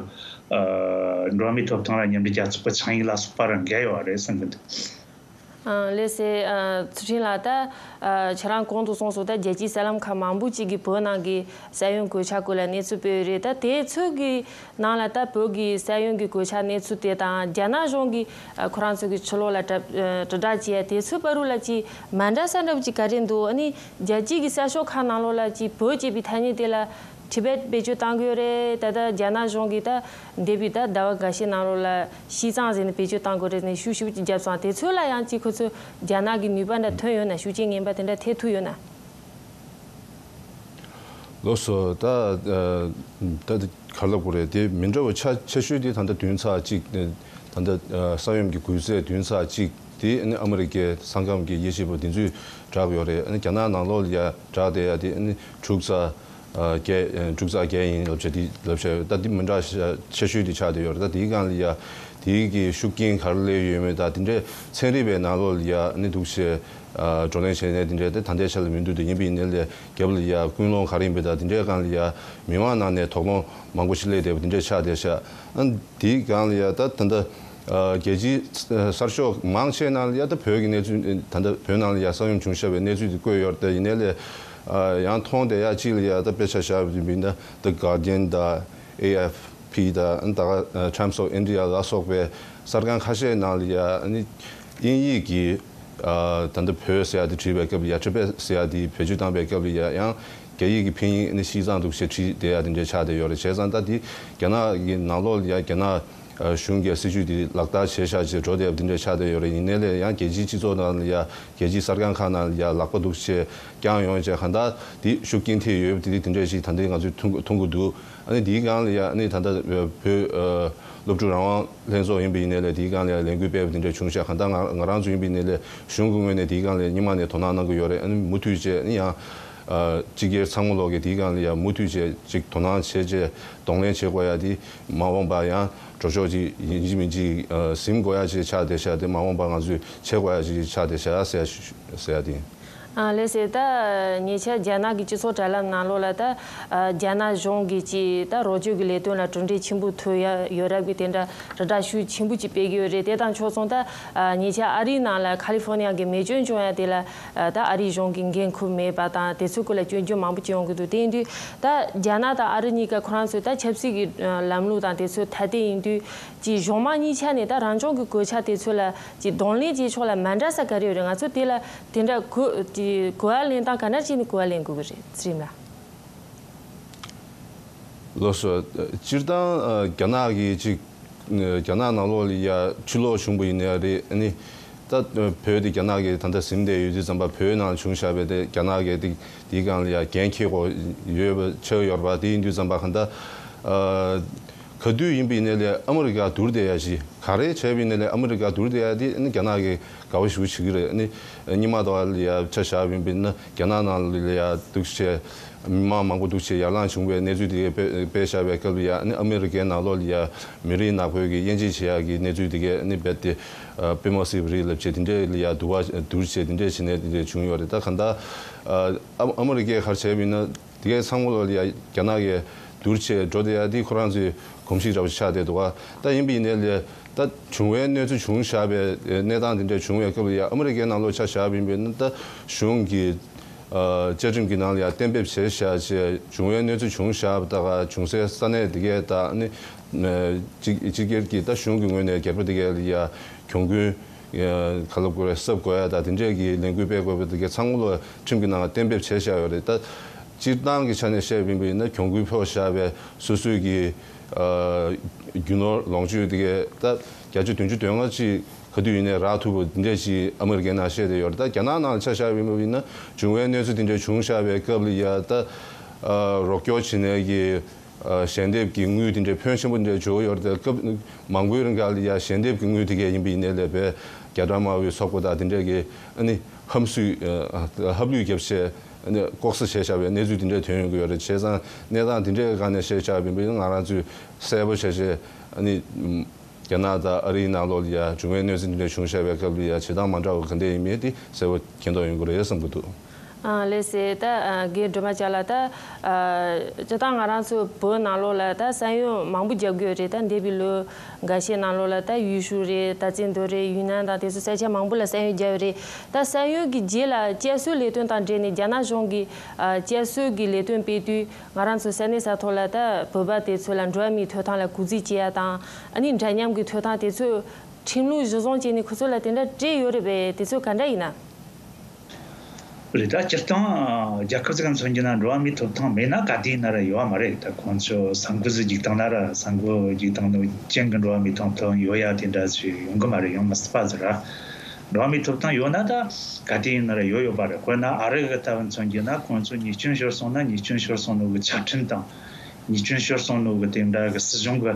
འགྲོ་བ་མིའི་ཐོབ་ཐང་ལ་མཉམ་འབྲེལ་རྒྱལ་ཚོགས་ཀྱི་ཆིངས་ཡིག་ལ་སོགས་པ་རང་འགལ་ཡོད་རེད་བསམ་གི་འདུག་ཨ་ལགས་སེ། ཨ་ཚུལ་ཁྲིམས་ལགས། ད་ཨ་ཁྱེད་རང་གོང་དུ་གསུངས་སོང་། ད་རྒྱལ་སྤྱིའི་གསར་ལམ་ཁག་མང་པོ་ཅིག་གིས་བོད་ནང་གི་ས་ཡོམ་གོད་ཆག་སྐོར་ལ་གནས་ཚུལ་སྤེལ་ཡོད་རེད། ད་དེ་ཚོ་གི་ནང་ལ་ད་བོད་ཀྱི་ས་ཡོམ་གྱི་གོད་ཆག་གནས་ཚུལ་དེ་དང་རྒྱ་ནག་གཞུང་གིས་ཨ་ཁོ་རང་ཚོ་གི་ཕྱི་ལོགས་ལ་དྲ་ཨ་དྲིལ་བསྒྲགས་བྱས་དེ་ཚོའི་བར་དུ་ལ་ཅིག་མ་འདྲ་ས་འདྲ་པོ་ཅིག་ག་རེ་འདུག་ཨ་ནི་རྒྱལ་སྤྱིའི་གི་གསར་ཤོག་ཁག་ནང་ལོགས་ལ་ཅིག་བོད་ཅེས་པའི་ཐ་སྙད་དེ་ལ་ཊི་བེཊ་བེད་སྤྱོད་གཏང་གི་ཡོད་རེད། ད་ལྟ་རྒྱ་ནག་གཞུང་གིས་ད་འདས་པའི་ད་ཟླ་བ་འགའ་ཤས་ནང་ལོགས་ལ་ཤི་ཙང་ཟེར་ནས་བེད་སྤྱོད་གཏང་དགོས་རེད་ནས་ཤུགས་ཆེ་པོ་ཅིག་བརྒྱབ་སོང་། དེ་ཚོ་ལ་ཡང་ཅིག་ཁོ་ཚོ་རྒྱ་ནག་གི་ནུས་པ་འདྲ་ཐོན་ཡོད་ན། ཤུགས་རྐྱེན་ངན་པ་དེ་འདྲ་ཐེབས་ཐུབ་ཡོད་ན། ལགས་སོ། ད་ད་ག་ལབ་དགོས་རེད། དེ་མི་འདྲ་བ་ཆ་ཆེ་ཤོས་དེ་ད་ལྟ་བདུན་ཚེག་གཅིག་ད་ལྟ་ས་ཡོམ་གྱི་གུད་ཚེག་བདུན་ཚེག་གཅིག་དེ་ནི་ཨ་མི་རི་ཀའི་ས་ཁམས་ཀྱི་དབྱེ་ཞིབ་པ་དེ་ཚོས་བསྒྲགས་ཡོད་རེད། རྒྱ་ནག་ནང་ལོགས་ལ་ཡ་བསྒྲགས་བསྡད་ཡ་དེ་ནི་དྲུག་ཚེག་བརྒྱད་དྲུག་ཚེག་བརྒྱད་ཡིན་ལབ་བྱས་དེ་ལབ་བྱས་ད་དེ་མི་འདྲ་ཆེ་ཤོས་དེ་ཆགས་བསྡད་ཡོད་རེད། ད་དེའི་སྒང་ལ་ཡ་དེའི་གི་ཤུགས་རྐྱེན་ག་རེ་སླེབས་ཡོད་མེད་ད་དེ་འདྲའི་ཚན་རིག་པའི་ནང་ལོགས་ལ་ཡ་ནི་འདུག་བྱས་བགྲོ་གླེང་བྱས་ནས་དེ་འདྲའི་དེ་ད་ལྟའི་ཆ་ལ་མི་འདུག་དེ་ཡིན་པ་ཡིན་ནའི་ལས་རྒྱབ་ལ་ཡ་ཀུན་སློང་ག་རེ་ཡིན་པའི་ད་དེ་འདྲའི་སྒང་ལ་ཡ་མི་མང་ནང་ནས་དོགས་སློང་མང་པོ་ཞིག་སླེབས་བསྡད་པ་དེ་འདྲའི་ཆགས་བསྡད་ཤག་ཨ་དེའི་སྒང་ལ་ཡ་ད་ད་ལྟ་རྒྱལ་སྤྱིའི་གསར་ཤོག་མང་ཆེ་ནང་ལ་ཡ་ད་བོད་ཀྱི་གནས་ཚུལ་ད་ལྟ་བོད་ནང་ལ་ཡ་ས་ཡོམ་བྱུང་བཞག་པའི་གནས་ཚུལ་དེ་བཀོད་ཡོད་རེད། ད་ཡིན་ནའི་ལས་ཡང་མཐོང་བསྡད་ཡ་གཅིག་ལ་ཡ་ད་དཔེ་ཆ་བཞག་པ་ཡིན་ན་The Guardian དང་ཨེ་ཨེཕ་པི་དང་ད་Times of India ལ་སོགས་པའི་གསར་ཁང་ཁ་ཤས་ནང་ལ་ཡ་ཨ་ནི་དབྱིན་ཡིག་གི་ད་ལྟ་བོད་ཟེར་ཡ་དེ་བྲིས་པའི་སྐབས་ལ་ཡ་ཊི་བེཊ་ཟེར་ཡ་དེ་བེད་སྤྱོད་བཏང་པའི་སྐབས་ལ་ཡ་ཡང་ རྒྱ་ཡིག་གི་ཕིན་ཡིག་ནི་ཤིས་ཙང་འདུག་ཞེས་བྲིས་བསྡད་ཡ་དེ་འདྲས་ཆགས་བསྡད་ཡོད་རེད། བྱས་ཙང་ད་དེ་རྒྱ་ནག་གི་ནང་ལོགས་ལ་ཡ་རྒྱ་ནག་གཞུང་གི་སྲིད་ཇུས་དེ་ལག་བསྟར་བྱས་བཞག་ཅེས་འགྲོ་བསྡད་ཡ་དེ་འདྲས་ཆགས་བསྡད་ཡོད་རེད། ཡིན་ནའི་ལས་ཡང་རྒྱལ་སྤྱིའི་སྤྱི་ཚོགས་ནང་ལ་ཡ་རྒྱལ་སྤྱིའི་གསར་ཁང་ཁག་ནང་ལ་ཡ་ལག་པ་འདུག་ཅེས་བསྐྱངས་ཡོང་བྱས་གང་ལྟར་དེ་ཤུགས་རྐྱེན་ཐེབས་ཡོད་པ་དེ་དེ་འདྲས་ཞིག་ད་ལྟའི་ང་ཚོས་མཐོང་གི་མཐོང་གི་འདུག་ཨ་ནི་དེའི་སྒང་ལ་ཡ་ཨ་ནི་ད་ལྟ་བོད་སློབ་ཕྲུག་རང་དབང་ལྷན་ཚོགས་ཡིན་པ་ཡིན་ནའི་ལས་དེའི་སྒང་ལ་ཡ་ལས་འགུལ་སྤེལ་བ་དེ་འདྲས་བྱུང་ཤག་གང་ལྟར་ང་ང་རང་ཚོ་ཡིན་པ་ཡིན་ནའི་ལས་གཞུང་གི་ངོས་ནས་དེའི་སྒང་ལ་སྔོན་མ་ནས་དོ་སྣང་གནང་གི་ཡོད་རེད། ཨ་ནི་མུ་མཐུད་བྱས་ཨ་ནི་ཡང་སྤྱི་སྒེར་ཚང་མ་ལོག་གི་དེའི་སྒང་ལ་ཡ་མུ་མཐུད་བྱས་ཅིག་དོ་སྣང་བྱས་བྱས་གདོང་ལེན་བྱེད་དགོས་ཡ་དེ་མ་འོངས་པ་ཡང་འགྲོ་ཕྱོགས་ཅིག་ཡིན་གཅིག་མིན་གཅིག་ཟིན་དགོས་ཡ་ཅིག་ཆགས་བསྡད་ཤག་དེ་མ་འོངས་པ་ང་ཚོས་བྱེད་དགོས་ཡ་ཅིག་ཆགས་བསྡད་ཤག་ཟེར་ཡ་ཞུ་ཟེར་ཡ་དེ་ཡིན། ཨ་ལགས་སེ། ད་ཉེ་ཆར་རྒྱ་ནག་གི་སྤྱི་ཚོགས་དྲ་ལམ་ནང་ལོགས་ལ་ད་ཨ་རྒྱ་ནག་གཞུང་གི་ཅིག་ད་རོགས་སྐྱོར་གྱི་ལས་དོན་ལ་གྲུབ་འབྲས་ཆེན་པོ་ཐོན་ཡ་ཡོད་རབས་ཀྱི་དེ་འདྲ་ར་སྒྲ་ཤུགས་ཆེན་པོ་ཅིག་སྤེལ་གྱི་ཡོད་རེད། དེ་དང་ཕྱོགས་མཚུངས་ད་ཨ་ཉེ་ཆར་ཨ་རིའི་ནང་ལ་ཁ་ལི་ཧྥོ་ནི་ཡ་གི་མེ་སྐྱོན་བྱུང་ཡ་དེ་ལ་ཨ་ད་ཨ་རིའི་གཞུང་གི་འགན་ཁུར་མེད་པ་དང་དེ་ཚོའི་སྐོར་ལ་སྐྱོན་བརྗོད་མང་པོ་ཅིག་ཡོང་གི་འདུག་དེ་ཡིན་དུས་ད་རྒྱ་ནག་དང་ཨ་རི་གཉིས་ཀ་ཁོ་རང་ཚོའི་ད་ཆབ་སྲིད་ཀྱི་ཨ་ལམ་ལུགས་དང་དེ་ཚོ་ཐ་དད་ཡིན་དུས། ཅིག་གཞུང་མང་གཉིས་ཆ་ནས་ད་རང་སྐྱོང་གི་གོད་ཆག་དེ་ཚོ་ལ་ཅིག་གདོང་ལེན་བྱེད་ཕྱོགས་ལ་མ་འདྲ་ས་ག་རེ་ཡོད་རེད། ང་ཚོ་དེ་ལ་དེ་འདྲ་གོ་ཅིག་གོ་བ་ལེན་སྟངས་ག་འདྲ་བྱས་ནས་གོ་བ་ལེན་དགོས་ཀྱི་རེད། ཚེ་རིང་ལགས། ལགས་སོ། སྤྱིར་བཏང་ཨ་རྒྱ་ནག་གི་ཅིག་རྒྱ་ནག་ནང་ལོགས་ལ་ཡ་ཕྱིར་ལོག་བྱུང་བ་ཡིན་ནའི་རེད། ཨ་ནི་ད་བོད་དེ་རྒྱ་ནག་གིས་ད་ལྟ་ཟིན་བསྡད་ཡོད་དུས་ཙམ་པ་བོད་ནང་བྱུང་བཞག་པའི་དེ་རྒྱ་ནག་གིས་དེ་དེའི་སྒང་ལ་ཡ་འགན་འཁྱེར་དགོས་ཡོད་པ་ཆགས་ཡོད་རེད་པ། དེ་ཡིན་དུས་ཙམ་པ་གང་ལྟར་ཨ། ག་དུས་ཡིན་པ་ཡིན་ནའི་ལས་ཨ་མི་རི་ཀ་བསྡུར་བསྡད་ཡ་ཞིག་ག་རེ་བྱས་པ་ཡིན་ནའི་ལས་ཨ་མི་རི་ཀ་བསྡུར་བསྡད་ཡ་དེ་ཨ་ནི་རྒྱ་ནག་གི་དགའ་བོ་ཞེ་པོ་བྱེད་ཀྱི་རེད། ཨ་ནི་སྔོན་མ་དང་ལ་ཡ་ཆ་བཞག་པ་ཡིན་པ་ཡིན་ན་རྒྱ་ནག་ནང་ལ་ཡ་འདུག་བྱས་མི་མང་མང་པོ་འདུག་བྱས་ཡར་ལངས་བྱུང་བའི་གནས་ཚུལ་དེ་གས་སྤེལ་སྤེལ་བཞག་པའི་སྐབས་ལ་ཡ་ཨ་ནི་ཨ་མི་རི་ཀའི་ནང་ལོགས་ལ་ཡ་མི་རིགས་ནག་པོའི་གི་དབྱེ་འབྱེད་བྱེད་ཡ་གི་གནས་ཚུལ་དེ་གས་ཨ་ནི་རྦད་དེ་ཨ་དཔེ་མ་སྲིད་པ་རེད་ལབ་བྱས་དེ་འདྲས་ལ་ཡ་བསྡུར་བ་བསྡུར་བྱས་དེ་འདྲས་བྱས་ནས་དེ་འདྲས་བྱུང་ཡོད་རེད། ད་གང་ལྟར་ཨ་ཨ་མི་རི་ཀས་ག་རེ་བྱས་པ་ཡིན་ན། དེ་གའི་ཚང་མ་ལོ་ལ་ཡ་རྒྱ་ནག་གིས་བསྡུར་བྱས་འགྲོ་བསྡད་ཡ་དེ་ཁོ་རང་ཚོའི་གོམས་གཤིས་འདྲ་བོ་ཆགས་བསྡད་འདུག་ག་ད་ཡིན་པ་ཡིན་ནའི་ལས་ད་བྱུང་བའི་གནས་ཚུལ་བྱུང་བཞག་པའི་གནས་སྟངས་དེ་འདྲ་བྱུང་བའི་སྐབས་ལ་ཡ་ཨ་མི་རི་ཀའི་ནང་ལོགས་ཆ་བཞག་པ་ཡིན་པ་ཡིན་ན་ད་གཞུང་གི་བཅའ་ཁྲིམས་ཀྱི་ནང་ལ་ཡ་གཏན་འབེབས་བྱས་བཞག་བྱས་བྱུང་བའི་གནས་ཚུལ་བྱུང་བཞག་པ་ད་ག་བྱུང་སའི་ས་གནས་དེ་གའི་ད་ནི་སྤྱི་སྤྱི་སྒེར་གྱི་ད་གཞུང་གི་ངོས་ནས་སྒེར་པ་དེ་གའི་ལ་ཡ། གྱོང་གུན་ག་ལབ་དགོས་རེད། གསབ་དགོས་ཡ་དང་དེ་འདྲས་ཀྱི་ལས་འགུལ་སྤེལ་དགོས་པ་དེ་གའི་ཚང་མ་ལོ་ཁྲིམས་ཀྱི་ནང་གཏན་འབེབས་བྱས་བཞག་ཡོད་རེད། ད་སྤྱིར་བཏང་གི་ཆ་ནས་བཤད་པ་ཡིན་པ་ཡིན་ན་གྱོང་གུན་ཕོག་བཞག་པའི་སོ་སོའི་གི་ཨ་རྒྱུ་ནོར་ལོངས་སྤྱོད་དེ་གའི་ད་བརྒྱ་ཆ་བདུན་ཅུ་དོན་ལྔ་ཅིག་ག་དུས་ཡིན་ནའི་རག་ཐུབ་པ་དེ་འདྲས་ཅིག་ཨ་མི་རི་ཀའི་ནང་བཤད་བསྡད་ཡོད་རེད། ད་རྒྱ་ནག་ནང་ཆ་བཞག་པ་ཡིན་པ་ཡིན་ན་བྱུང་བའི་གནས་ཚུལ་དེ་འདྲས་བྱུང་བཞག་པའི་སྐབས་ལ་ཡ་ད་ཨ་རོགས་སྐྱོར་བྱེད་མཁན་གྱི། ཨ་ཞལ་འདེབས་ཀྱི་དངུལ་དེ་འདྲའི་ཕོན་ཆེན་པོ་འདྲ་བྱུང་ཡོད་རེད། སྐབས་མང་པོའི་རིང་ག་ལ་ཡ་ཞལ་འདེབས་ཀྱི་དངུལ་དེ་གས་ཡིན་པ་ཡིན་ནའི་ལས་པའི་རྒྱ་དྲག་དམར་པོའི་ཚོགས་པ་དང་དེ་འདྲས་ཀྱི་ཨ་ནི་ཧམ་སུས་ཨ་ཧབ་ལུས་བརྒྱབ་བྱས་ཨ་ནི་ལྐོག་ཟ་བྱས་བཞག་པའི་གནས་ཚུལ་དེ་འདྲས་ཐོན་ཡོང་གི་ཡོད་རེད། བྱས་ཙང་གནས་སྟངས་དེ་འདྲས་སྒང་ནས་བཤད་བཞག་པ་ཡིན་པ་ཡིན་ན་ང་རང་ཚོས་གསལ་པོ་བྱས་བྱས་ཨ་ནི་རྒྱ་ནག་དང་ཨ་རིའི་ནང་ལོགས་ལ་ཡ་བྱུང་བའི་གནས་ཚུལ་དེ་འདྲས་བྱུང་བཞག་པའི་སྐབས་ལ་ཡ་བྱེད་སྟངས་མ་འདྲ་བ་ག་འདྲས་ཡིན་མིན་དེ་གསལ་པོ་མཁྱེན་རྟོགས་ཡོང་གི་རེད་བསམ་གྱི་འདུག་ཨ་ལགས་སེ། ད་ཨ་རྒན་སྒྲོལ་མ་ལགས་ད་ཨ་སྤྱིར་བཏང་ང་རང་ཚོ་བོད་ནང་ལོགས་ལ་ད་ས་ཡོམ་མང་པོ་བརྒྱབ་ཀྱི་ཡོད་རེད། ད་འདས་པའི་ལོ་འགའ་ཤས་ནང་ལོགས་ལ་ད་ཡུལ་ཤུལ་རེད། ད་ཙན་དན་རེད། ཡུན་ནན་དང་དེ་ཚོ་ས་ཆ་མང་པོ་ལ་ས་ཡོམ་བརྒྱབ་ཡོད་རེད། ད་ས་ཡོམ་གྱི་རྗེས་ལ་བསྐྱར་གསོའི་ལས་དོན་དང་འབྲེལ་ནས་རྒྱ་ནག་གཞུང་གིས་ཨ་བསྐྱར་གསོ་གི་ལས་དོན་སྤེལ་དུས་ང་རང་ཚོ་ས་གནས་ས་ཐོག་ལ་ད་བོད་པ་དེ་ཚོ་ལ་འགྲོ་བ་མིའི་ཐོབ་ཐང་ལ་གུས་བརྩི་བྱེད་ཡ་དང་ཨ་ནི་འདྲ་མཉམ་གྱི་ཐོབ་ཐང་དེ་ཚོ་ཁྲིམས་ལུགས་གཞི་བཟུང་བྱས་ནས་ཁོ་ཚོ་ལ་དེ་འདྲ་སྤྲད་ཡོད་རེད་པས། དེ་ཚོ་ག་འདྲ་ཡིན་ན། རེད། ད་སྤྱིར་བཏང་རྒྱལ་ཁབ་ཅིག་མཚོན་རྒྱུ་ན་འགྲོ་བ་མིའི་ཐོབ་ཐང་མེད་ན་ག་དུས་ཡིན་ན་ར་ཡོད་པ་མ་རེད། ད་ཁོང་ཚོ་ས་འགུལ་ཟིག་རྒྱུག་བཏང་ན་ར་ས་འགུལ་རྒྱུག་བཏང་ནོ་རྐྱེན་གྱིས་འགྲོ་བ་མིའི་ཐོབ་ཐང་ཡོད་ཡ་དེ་འདྲ་ཞིག་ཡོང་གི་མ་རེད། ཡོང་མི་སྲིད་པ་ཟིག་ར། འགྲོ་བ་མིའི་ཐོབ་ཐང་ཡོད་ན་ད་ག་དུས་ཡིན་ན་ར་ཡོད་ཡོད་པ་རེད། དཔེར་ན་ཨ་རི་གི་ལྟ་བུ་མཚོན་རྒྱུ་ན་ཁོང་ཚོ་ཉེས་སྐྱོན་ཤོར་སོང་ན་ཉེས་སྐྱོན་ཤོར་སོང་ནོ་གི་ཆ་འཕྲིན་དང་། ཉེས་སྐྱོན་ཤོར་སོང་ནོ་གི་དེ་འདྲ་གི་སྲིད་གཞུང་གི་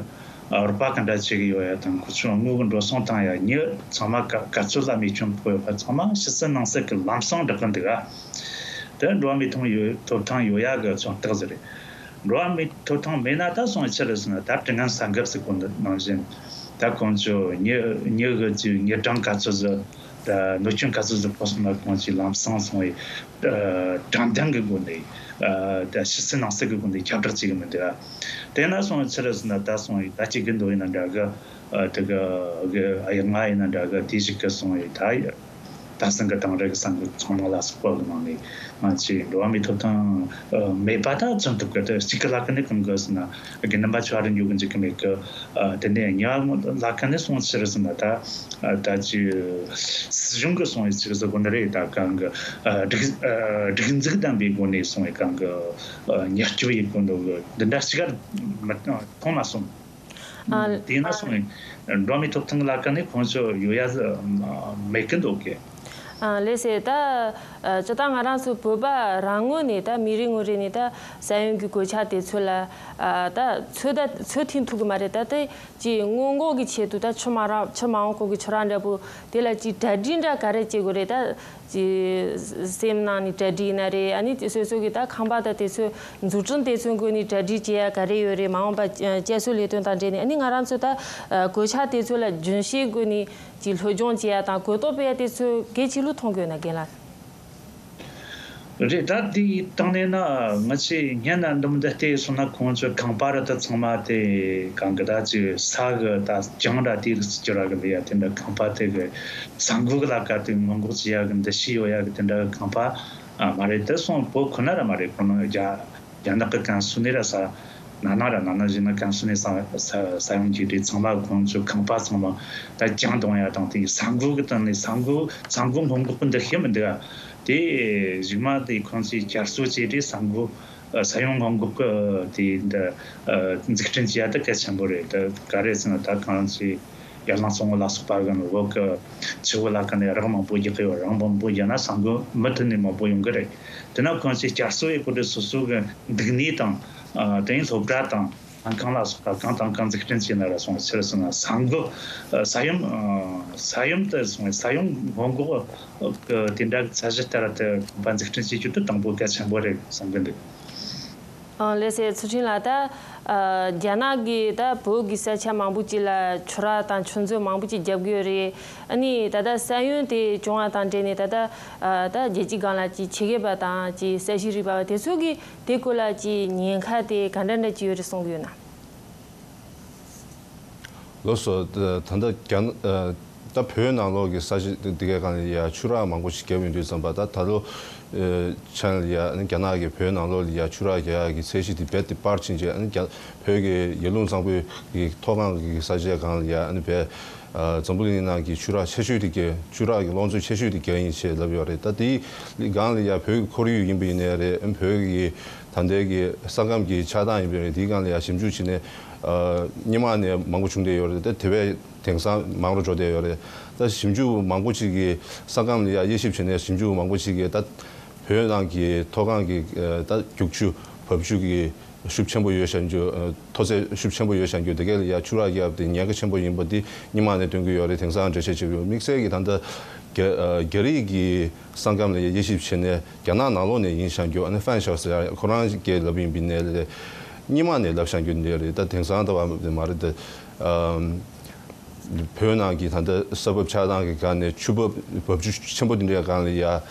ཨ་རོགས་པ་ག་འདྲ་བྱེད་གི་ཡོད་ཡ་དང་། ཁོ་ཚོ་དངུལ་གི་འགྲོ་སོང་བཏང་ཡ་མྱི་ཚང་མ་ག་ག་ཚོད་ལ་རྨས་སྐྱོན་ཕོག་ཡོད་པ་ཚང་མ་ཕྱི་གསལ་ནང་གསལ་གི་ལམ་སང་བསྒྲགས་གི་འདུག་ག་དེ་འགྲོ་བ་མིའི་ཐོབ་ཐང་ཡོད་ཐོབ་ཐང་ཡོད་ཡ་གི་མཚོན་རྟགས་ཟིག་རེད། འགྲོ་བ་མིའི་ཐོབ་ཐང་མེད་ན་ད་སོང་ཆི་རེད་ཟེར་ན། ད་དྲི་ངན་གསབ་འགབ་ཟེར་གོ་ནང་བཞིན། ད་ཁོང་ཚོ་མྱི་མྱི་གི་ཚོའི་མྱི་གྲངས་ག་ཚོད་ཟིག་ད་གནོད་སྐྱོན་ག་ཚོད་ཟིག་ཕོག་སོང་ན་ཁོང་ཚོས་ལམ་སང་སོང་བའི་ཨ་དྲང་བདེན་གྱི་སྒོ་ནས་ཨ་ད་ཕྱི་གསལ་ནང་གསལ་གྱི་སྒོ་ནས་ཁྱབ་བསྒྲགས་བྱེད་ཀྱི་མི་འདུག་དེ་ན་སོང་ཆི་རེད་ཟེར་ན། ད་སོང་ཡི་ད་ཅིག་གི་འདུག་ཡིན་ན་འདྲ་གི། ཨ་དེ་གི་གི་ཨ་ཡ་ང་ཡིན་ན་འདྲ་གི། དེ་ཞིག་གི་སོང་ཡི་ད་ཡ་ ད་སང་གི་དང་རེ་གི་སང་གི་ཚང་མ་ལ་སོགས་པ་གི་ནང་ནས་ང་ཚོས་འགྲོ་བ་མིའི་ཐོབ་ཐང་ཨ་མེད་པ་ད་བརྩི་མི་ཐུབ་གི། ད་གཅིག་གི་ལ་ཀ་ནས་གང་གི་ཟེར་ན་དགེ་འདུན་པ་ཆོས་ར་འཇུག་གི་འཇུག་གི་མེད་གི། ཨ་དེ་ནས་གཉིས་པ་ལ་ཀ་ནས་སོང་ཕྱིར་ཟེར་ན་ད་ཨ་ད་ཅི་སྲིད་གཞུང་གི་སོང་བའི་ཚིག་ཟེར་གོ་ནི་རེད། ད་གང་གི་ཨ་སྒྲིག་ཨ་སྒྲིག་འཛུགས་ལྡན་པའི་སྒོ་ནས་སོང་བའི་གང་གི་ཨ་ཉེས་སྐྱོན་ཡིན་གོ་འདུག་གི། འདི་འདྲ་གཅིག་ག་མི་མཐོང་མ་སོང་། ཨ། དེས་ན་སོང་ནས་འགྲོ་བ་མིའི་ཐོབ་ཐང་ལ་ཀ་ནས་ཁོང་ཚོ་ཡོད་ཡ་མེད་ཀི་འདུག་གི། ཨ་ལགས་སེ། ད་ཨ་སྤྱིར་བཏང་ང་རང་ཚོ་བོད་པ་རང་ངོས་ནས་ད་མི་རེ་ངོ་རེ་ནས་ད་ས་ཡོམ་གྱི་གོད་ཆག་དེ་ཚོ་ལ་ཨ་ད་ཚོད་ད་ཚོད་ཐིག་ཐུབ་གི་མ་རེད། ད་དེ་ཅི་སྔོན་འགོག་གི་ཆེད་དུ་ད་ཕྱི་མ་རང་ཕྱི་མ་འོང་གོང་གི་ཁྱོད་རང་འདྲ་པོ་དེ་ལ་ཅི་གྲ་སྒྲིག་འདྲ་ག་རེ་བྱེད་དགོས་རེད། ད་ཅི་སེམས་ནང་ནས་གྲ་སྒྲིག་ཡིན་ན་རེད། ཨ་ནི་སོ་སོ་གི་ད་ཁང་པ་ད་དེ་ཚོ་འཛུགས་སྐྲུན་དེ་ཚོའི་སྒོ་ནས་གྲ་སྒྲིག་བྱེད་ཡ་ག་རེ་ཡོད་རེད། མ་འོངས་པ་བསྐྱར་གསོ་ལས་དོན་དང་འབྲེལ་ནས། ཨ་ནི་ང་རང་ཚོ་ད་གོད་ཆག་དེ་ཚོ་ལ་རྒྱུན་ཤེས་སྒོ་ནས་ཅིག་སློབ་སྦྱོང་བྱེད་ཡ་དང་གོ་རྟོགས་སྤེལ་ཡ་དེ་ཚོ་གལ་ཆེ་ལུགས་མཐོང་གི་ཡོད་ན། རྒན་ལགས། རེད། ད་དེའི་སྟེང་ནས་ན་ང་ཚོས་སྔོན་ན་འདུམ་འདི་བལྟས་སོང་ན་ཁོང་ཚོའི་ཁང་པ་ར་ད་ཚང་མ་དེ་གང་གི་ད་ཅིག་ས་གི་ད་གྱང་ར་དེ་རིགས་སུ་གྱུར་ར་གི་ལ་ཡ་དེ་འདྲ་ཁང་པ་དེ་གི་ས་འགུལ་གི་ལ་ཀ་དེ་སྔོན་འགོག་བྱེད་ཡ་གི་འདུ་ཤེས་ཡོད་ཡ་གི་དེ་འདྲ་གི་ཁང་པ་ཨ་མ་རེད། དེ་སོང་བོད་ཁོ་ན་ར་མ་རེད། ཁོ་ན་རྒྱ་རྒྱ་ནག་གི་ཀན་སུའུ་ནས་ར་ས་ན་ན་ར་ན་ན་བཞིན་ན་ཀན་སུའུ་ནས་ས་ས་ས་ཡོམ་གྱི་རེད། ཚང་མ་ཁོང་ཚོའི་ཁང་པ་ཚང་མ་ད་གྱང་གཏོང་ཡ་དང་དེ་ས་འགུལ་གི་སྟེང་ནས་ས་འགུལ་ས་འགུལ་སྔོན་འགོག་གི་འདུ་ཤེས་མི་འདུག་ཨ། དེ་གཞུག་མ་དེ་ཁོང་ཚོས་བསྐྱར་གསོ་བྱས་ཏེ་ས་འགུལ་ས་ཡོམ་སྔོན་འགོག་གི་དེ་འདི་འཛུགས་སྐྲུན་བྱེད་ཡ་དེ་གལ་ཆེན་པོ་རེད། དེ་ག་རེ་ཟེར་ན་ད་གང་ཚེ་ཡར་ལངས་གཙང་བོ་ལ་སོགས་པ་གི་བོད་གི་ཆུ་བོ་ལ་ཀ་ནས་རགས་མང་པོ་རྒྱག་གི་ཡོད། རགས་མང་པོ་རྒྱག་ན་ས་འགུལ་མུ་མཐུད་ནས་མང་པོ་ཡོང་གི་རེད། དེ་ན་ཁོང་ཚོས་བསྐྱར་གསོ་ཡེད་དགོས་དུས་སོ་སོ་གི་འདུག་གནས་དང་དེ་ཡིན་སློབ་གྲྭ་དང་ལྷན་ཁང་ལ་སོགས་པ་གང་དང་གང་འཛུགས་སྐྲུན་བྱས་ན་ར་སོང་ཕྱིར་སོང་ན་ས་འགུལ་ས་ཡོམ་ས་ཡོམ་དེ་སོང་ས་ཡོམ་སྔོན་འགོག་གི་དེ་འདྲ་གི་ཚད་གཞི་ལྟར་དུ་ཁང་པ་འཛུགས་སྐྲུན་བྱེད་རྒྱུ་དེ་དང་པོ་གལ་ཆེན་པོ་རེད་བསམ་གི་འདུག་ཨ་ལགས་སེ། ཚུལ་ཁྲིམས་ལགས། ད་ཨ་རྒྱ་ནག་གིས་ད་བོད་ཀྱི་ས་ཆ་མང་པོ་ཅིག་ལ་ཆུ་རགས་དང་ཆུ་མཛོད་མང་པོ་ཅིག་བརྒྱབ་གི་ཡོད་རེད། ཨ་ནི་ད་ལྟ་ས་ཡོམ་དེ་བྱུང་བ་དང་འབྲེལ་ནས་ད་ལྟ་ཨ་ད་རྒྱལ་སྤྱིའི་སྒང་ལ་ཅིག་ཆེད་མཁས་པ་དང་ཅིག་ས་གཤིས་རིག་པ་བ་དེ་ཚོ་གིས་དེ་སྐོར་ལ་ཅིག་ཉེན་ཁ་དེ་ག་འདྲ་འདྲ་ཅིག་ཡོད་རེད་གསུང་གི་ཡོད་ན། ལགས་སོ། ད་ད་ལྟ་རྒྱ་ནག་ད་བོད་ནང་ལོགས་ཀྱི་ས་གཞི་དེ་གའི་སྒང་ལ་ཡ་ཆུ་རགས་མང་པོ་ཞིག་བརྒྱབ་ཡོང་དུས་ཙམ་པ། ད་ད་ལོ་ཆ་ལ་ཡ་རྒྱ་ནག་གིས་བོད་ནང་ལོགས་ལ་ཡ་ཆུ་རགས་རྒྱག་ཡག་གི་ཚད་གཞི་དེ་རྦད་དེ་སྤར་ཕྱིན་རྗེས། ཨ་ནི་རྒྱ་བོད་ཀྱི་ཡར་ཀླུང་གཙང་པོའི་གི་མཐོ་སྒང་གི་ས་ཆའི་སྒང་ལ་ཡ་ཨ་ནི་བས་འཛམ་བུ་གླིང་ནང་གི་ཆུ་རགས་ཆེ་ཤོས་དེ་རྒྱ་ཆུ་རགས་ཀྱི་ལོངས་སྤྱོད་ཆེ་ཤོས་དེ་རྒྱ་ཡིན་ཞེས་ལབ་ཡོད་རེད། ད་དེའི་སྒང་ལ་ཡ་བོད་ཀྱི་ཁོར་ཡུག་ཡིན་པ་ཡིན་ནའི་རེད། ཨ་ནི་བོད་ཀྱི་ད་ལྟའི་གི་ས་ཁམས་ཀྱི་ཆགས་སྟངས་ཡིན་པ་རེད། དེའི་སྒང་ལ་ཡ་ཞིབ་འཇུག་བྱས་ནས་སྔོན་མ་ནས་མང་པོ་བྱུང་བསྡད་ཡོད་རེད། ད་དེ་བས་དེང་སང་མང་རུ་འགྲོ་བསྡད་ཡོད་རེད། ད་ཞིབ་འཇུག་མང་པོ་ཅིག་གིས་ས་ཁམས་ལ་ཡ་དབྱེ་ཞིབ་བྱས་ནས་ཞིབ་འཇུག་མང་པོ་ཅིག་གིས་ད་བོད་ནང་གི་མཐོ་སྒང་གི་ད་རྒྱུག་ཆུ་བབས་ཆུ་གི་ཤུགས་ཆེན་པོ་ཡོད་བཞག་རྒྱུ། མཐོ་ཚད་ཤུགས་ཆེན་པོ་ཡོད་བཞག་རྒྱུ་དེ་གས་ལ་ཡ་ཆུ་རགས་བརྒྱབ་སྟེ་ཉེན་ཁ་ཆེན་པོ་ཡིན་པ་དེ་སྔོན་མ་ནས་སྟོན་གྱི་ཡོད་རེད། དེང་སང་འགྲེལ་བཤད་བྱེད་དགོས། དམིགས་བསལ་གྱི་ད་ལྟ་རྒྱ་རྒྱ་རིགས་ཀྱི་ས་ཁམས་ལ་ཡ་དབྱེ་ཞིབ་བྱས་ནས་རྒྱ་ནག་ནང་ལོགས་ནས་ཡིན་བཞག་རྒྱུ། ཨ་ནི་ཧྥན་ཞའོ་ཟེར་ཡ་ཁོ་རང་གིས་ལབ་ཡིན་པའི་ནས་ལས་སྔོན་མ་ནས་ལབ་བཞག་རྒྱུ་འདི་རེད། ད་དེང་སང་ལྟ་བ་མ་རེད། ད་བོད་ནང་གི་ད་ལྟ་ས་བབ་ཆགས་སྟངས་ཀྱི་སྒང་ནས་ཆུ་བབ་བབས་ཆུ་ཆེན་པོ་འདི་འདྲའི་སྒང་ལ་ཡ་ཨ་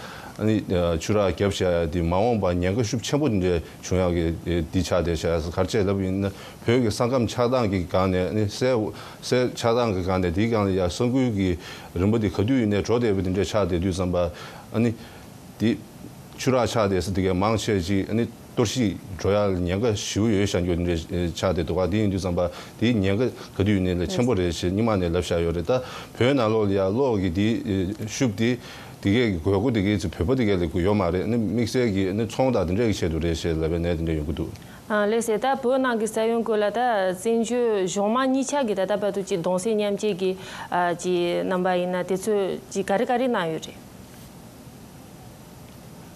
ནི་ཆུ་རགས་བརྒྱབ་བཞག་ཡ་དེ་མ་འོངས་པ་ཉེན་ཁ་ཤུགས་ཆེན་པོ་འདི་འདྲའི་བྱུང་ཡག་གི་འདི་ཆགས་བསྡད་བཞག་ཡ། ག་རེ་བྱས་ལབ་ཡིན་ན་བོད་ཀྱི་ས་ཁམས་ཆགས་སྟངས་ཀྱི་སྒང་ནས་ཨ་ནི་སའི་སའི་ཆགས་སྟངས་ཀྱི་སྒང་ནས་དེའི་སྒང་ལ་ཡ་ས་འགུལ་གྱི་རིམ་པ་དེ་ག་དུས་ཡིན་ནའི་འགྲོ་བསྡད་པ་འདི་འདྲའི་ཆགས་བསྡད་དུས་ཙམ་པ། ཨ་ནི་དེ་ཆུ་རགས་ཆགས་བསྡད་ས་དེ་གའི་མང་ཆེ་ཅིག་ཨ་ནི་གཏོར་བཤིག་འགྲོ་ཡ་ལ་ཉེན་ཁ་ཞེ་པོ་ཡོད་བཞག་རྒྱུ་འདྲ་ཆགས་བསྡད་འདུག་ག་དེ་ཡིན་དུས་ཙམ་པ་དེའི་ཉེན་ཁ་ག་དུས་ཡིན་ནའི་ལས་ཆེན་པོ་རེད་ཞེས་སྔོན་མ་ནས་ལབ་བཞག་ཡོད་རེད། ད་བོད་ནང་ལོགས་ལ་ཡ་གློག་གི་དེའི་ཤུགས་དེ་དེ་གའི་དགོས་མཁོ་དེ་གའི་ཚེ་བོད་པ་དེ་གའི་ལ་དགོས་ཡོད་མ་རེད། ཨ་ནི་དམིགས་བསལ་གྱི་ཨ་ནི་ཚོང་དང་དེ་འདྲའི་གི་ཆེད་དུ་རེད་ཞེས་ལབ་པའི་ནས་དེ་འདྲ་ཡོང་གི་འདུག་ཨ་ལགས་སེ། ད་བོད་ནང་གི་ས་ཡོམ་སྐོར་ལ་ད་བཙན་བྱོལ་གཞུང་མང་གཉིས་ཆ་གི་ད་ལྟ་བར་དུ་ཅིག་གདུང་སེམས་མཉམ་སྐྱེད་ཀྱི་ཨ་ཅིག་རྣམ་པ་ཡིན་ན་དེ་ཚོས་ཅིག་ག་རེ་ག་རེ་གནང་ཡོད་རེད།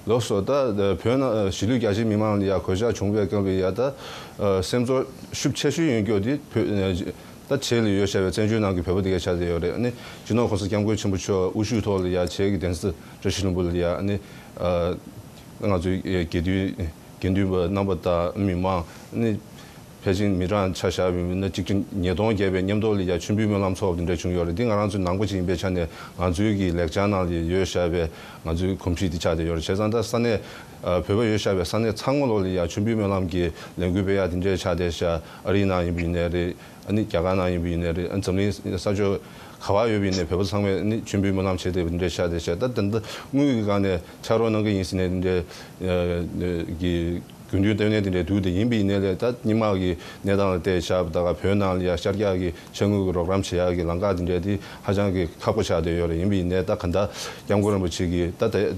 ལགས་སོ། ད་བོད་ནང་གཞིས་ལུས་རྒྱ་ཆེའི་མི་མང་ལ་ཡ་གོད་ཆག་བྱུང་བའི་སྐབས་ལ་ཡ་ད་སེམས་ཚོར་ཤུགས་ཆེ་ཤོས་ཡོད་རྒྱུ་དེ་བོད་ད་བྱེས་ལ་ཡོད་བཞག་པའི་བཙན་བྱོལ་ནང་གི་བོད་པ་དེ་གས་ཆགས་བསྡད་ཡོད་རེད། ཨ་ནི་སྤྱི་ནོར་གོང་ས་སྐྱབས་མགོན་ཆེན་པོ་མཆོག་དབུ་བཞུགས་ཐོག་ལ་ཡ་བྱེས་ཀྱི་གདན་ས་བཀྲ་ཤིས་ལྷུན་པོ་ལ་ཡ་ཨ་ནི་ང་ཚོའི་དགེ་འདུན་དགེ་འདུན་པ་རྣམ་པ་དང་མི་མང་ཨ་ནི་ཕལ་ཆེར་མི་གྲངས་ཆ་བཞག་པ་ཡིན་ན་གཅིག་ཁྲི་ཉིས་སྟོང་བརྒལ་བའི་མཉམ་དུ་ལ་ཡ་མཆོད་འབུལ་སྨོན་ལམ་ཚོགས་པ་འདི་འདྲ་བྱུང་ཡོད་རེད། འདི་ང་རང་ཚོའི་ནང་པ་ཅིག་ཡིན་པའི་ཆ་ནས་ང་ཚོའི་གི་ལེགས་བྱང་ནང་ལ་ཡོད་བཞག་པའི་ང་ཚོའི་གོམས་གཤིས་འདི་ཆགས་བསྡད་ཡོད་རེད། བྱས་ཙང་ད་ས་གནས་ཨ་བོད་པ་ཡོད་བཞག་པའི་ས་གནས་ཚང་མ་ལོགས་ལ་ཡ་མཆོད་འབུལ་སྨོན་ལམ་གྱི་ལས་འགུལ་སྤེལ་ཡག་འདི་འདྲ་ཆགས་བསྡད་བཞག་ཨ་རིའི་ནང་ཡིན་པ་ཡིན་ནའི་རེད། ཨ་ནི་རྒྱ་གར་ནང་ཡིན་པ་ཡིན་ནའི་རེད། ཨ་འཛམ་གླིང་ས་ཕྱོགས་ ག་བ་ཡོད་པ་ཡིན་ནའི་བོད་པ་ཚང་མས་ནི་མཆོད་འབུལ་སྨོན་ལམ་བྱེད་བསྡད་པ་འདི་འདྲ་ཆགས་བསྡད་ཤག་ད་དེ་འདྲ་དངུལ་གྱི་སྒང་ནས་ཕྱག་རོགས་གནང་གི་ཡིན་ཟེར་ནས་འདི་འདྲ་གི་དགོས་འདུན་བཏོན་ནས་དེ་འདྲ་འདུག་དེ་ཡིན་པ་ཡིན་ནའི་ལས་ད་སྔོན་མ་གི་གནས་སྟངས་ལ་བལྟས་བཞག་པ་ད་ག་བོད་ནང་ལ་ཡ་ཤར་རྒྱག་གི་ཆ་དངུལ་གྱི་རོགས་རམ་བྱེད་ཡག་གི་ལམ་ཁ་དེ་འདྲ་དེ་ཧ་ཅང་གི་ཁག་པོ་ཆགས་བསྡད་ཡོད་རེད། ཡིན་པ་ཡིན་ནའི་ད་ག་འདྲ་སྐྱབས་མགོན་རིན་པོ་ཆེ་གིས་ད་ད་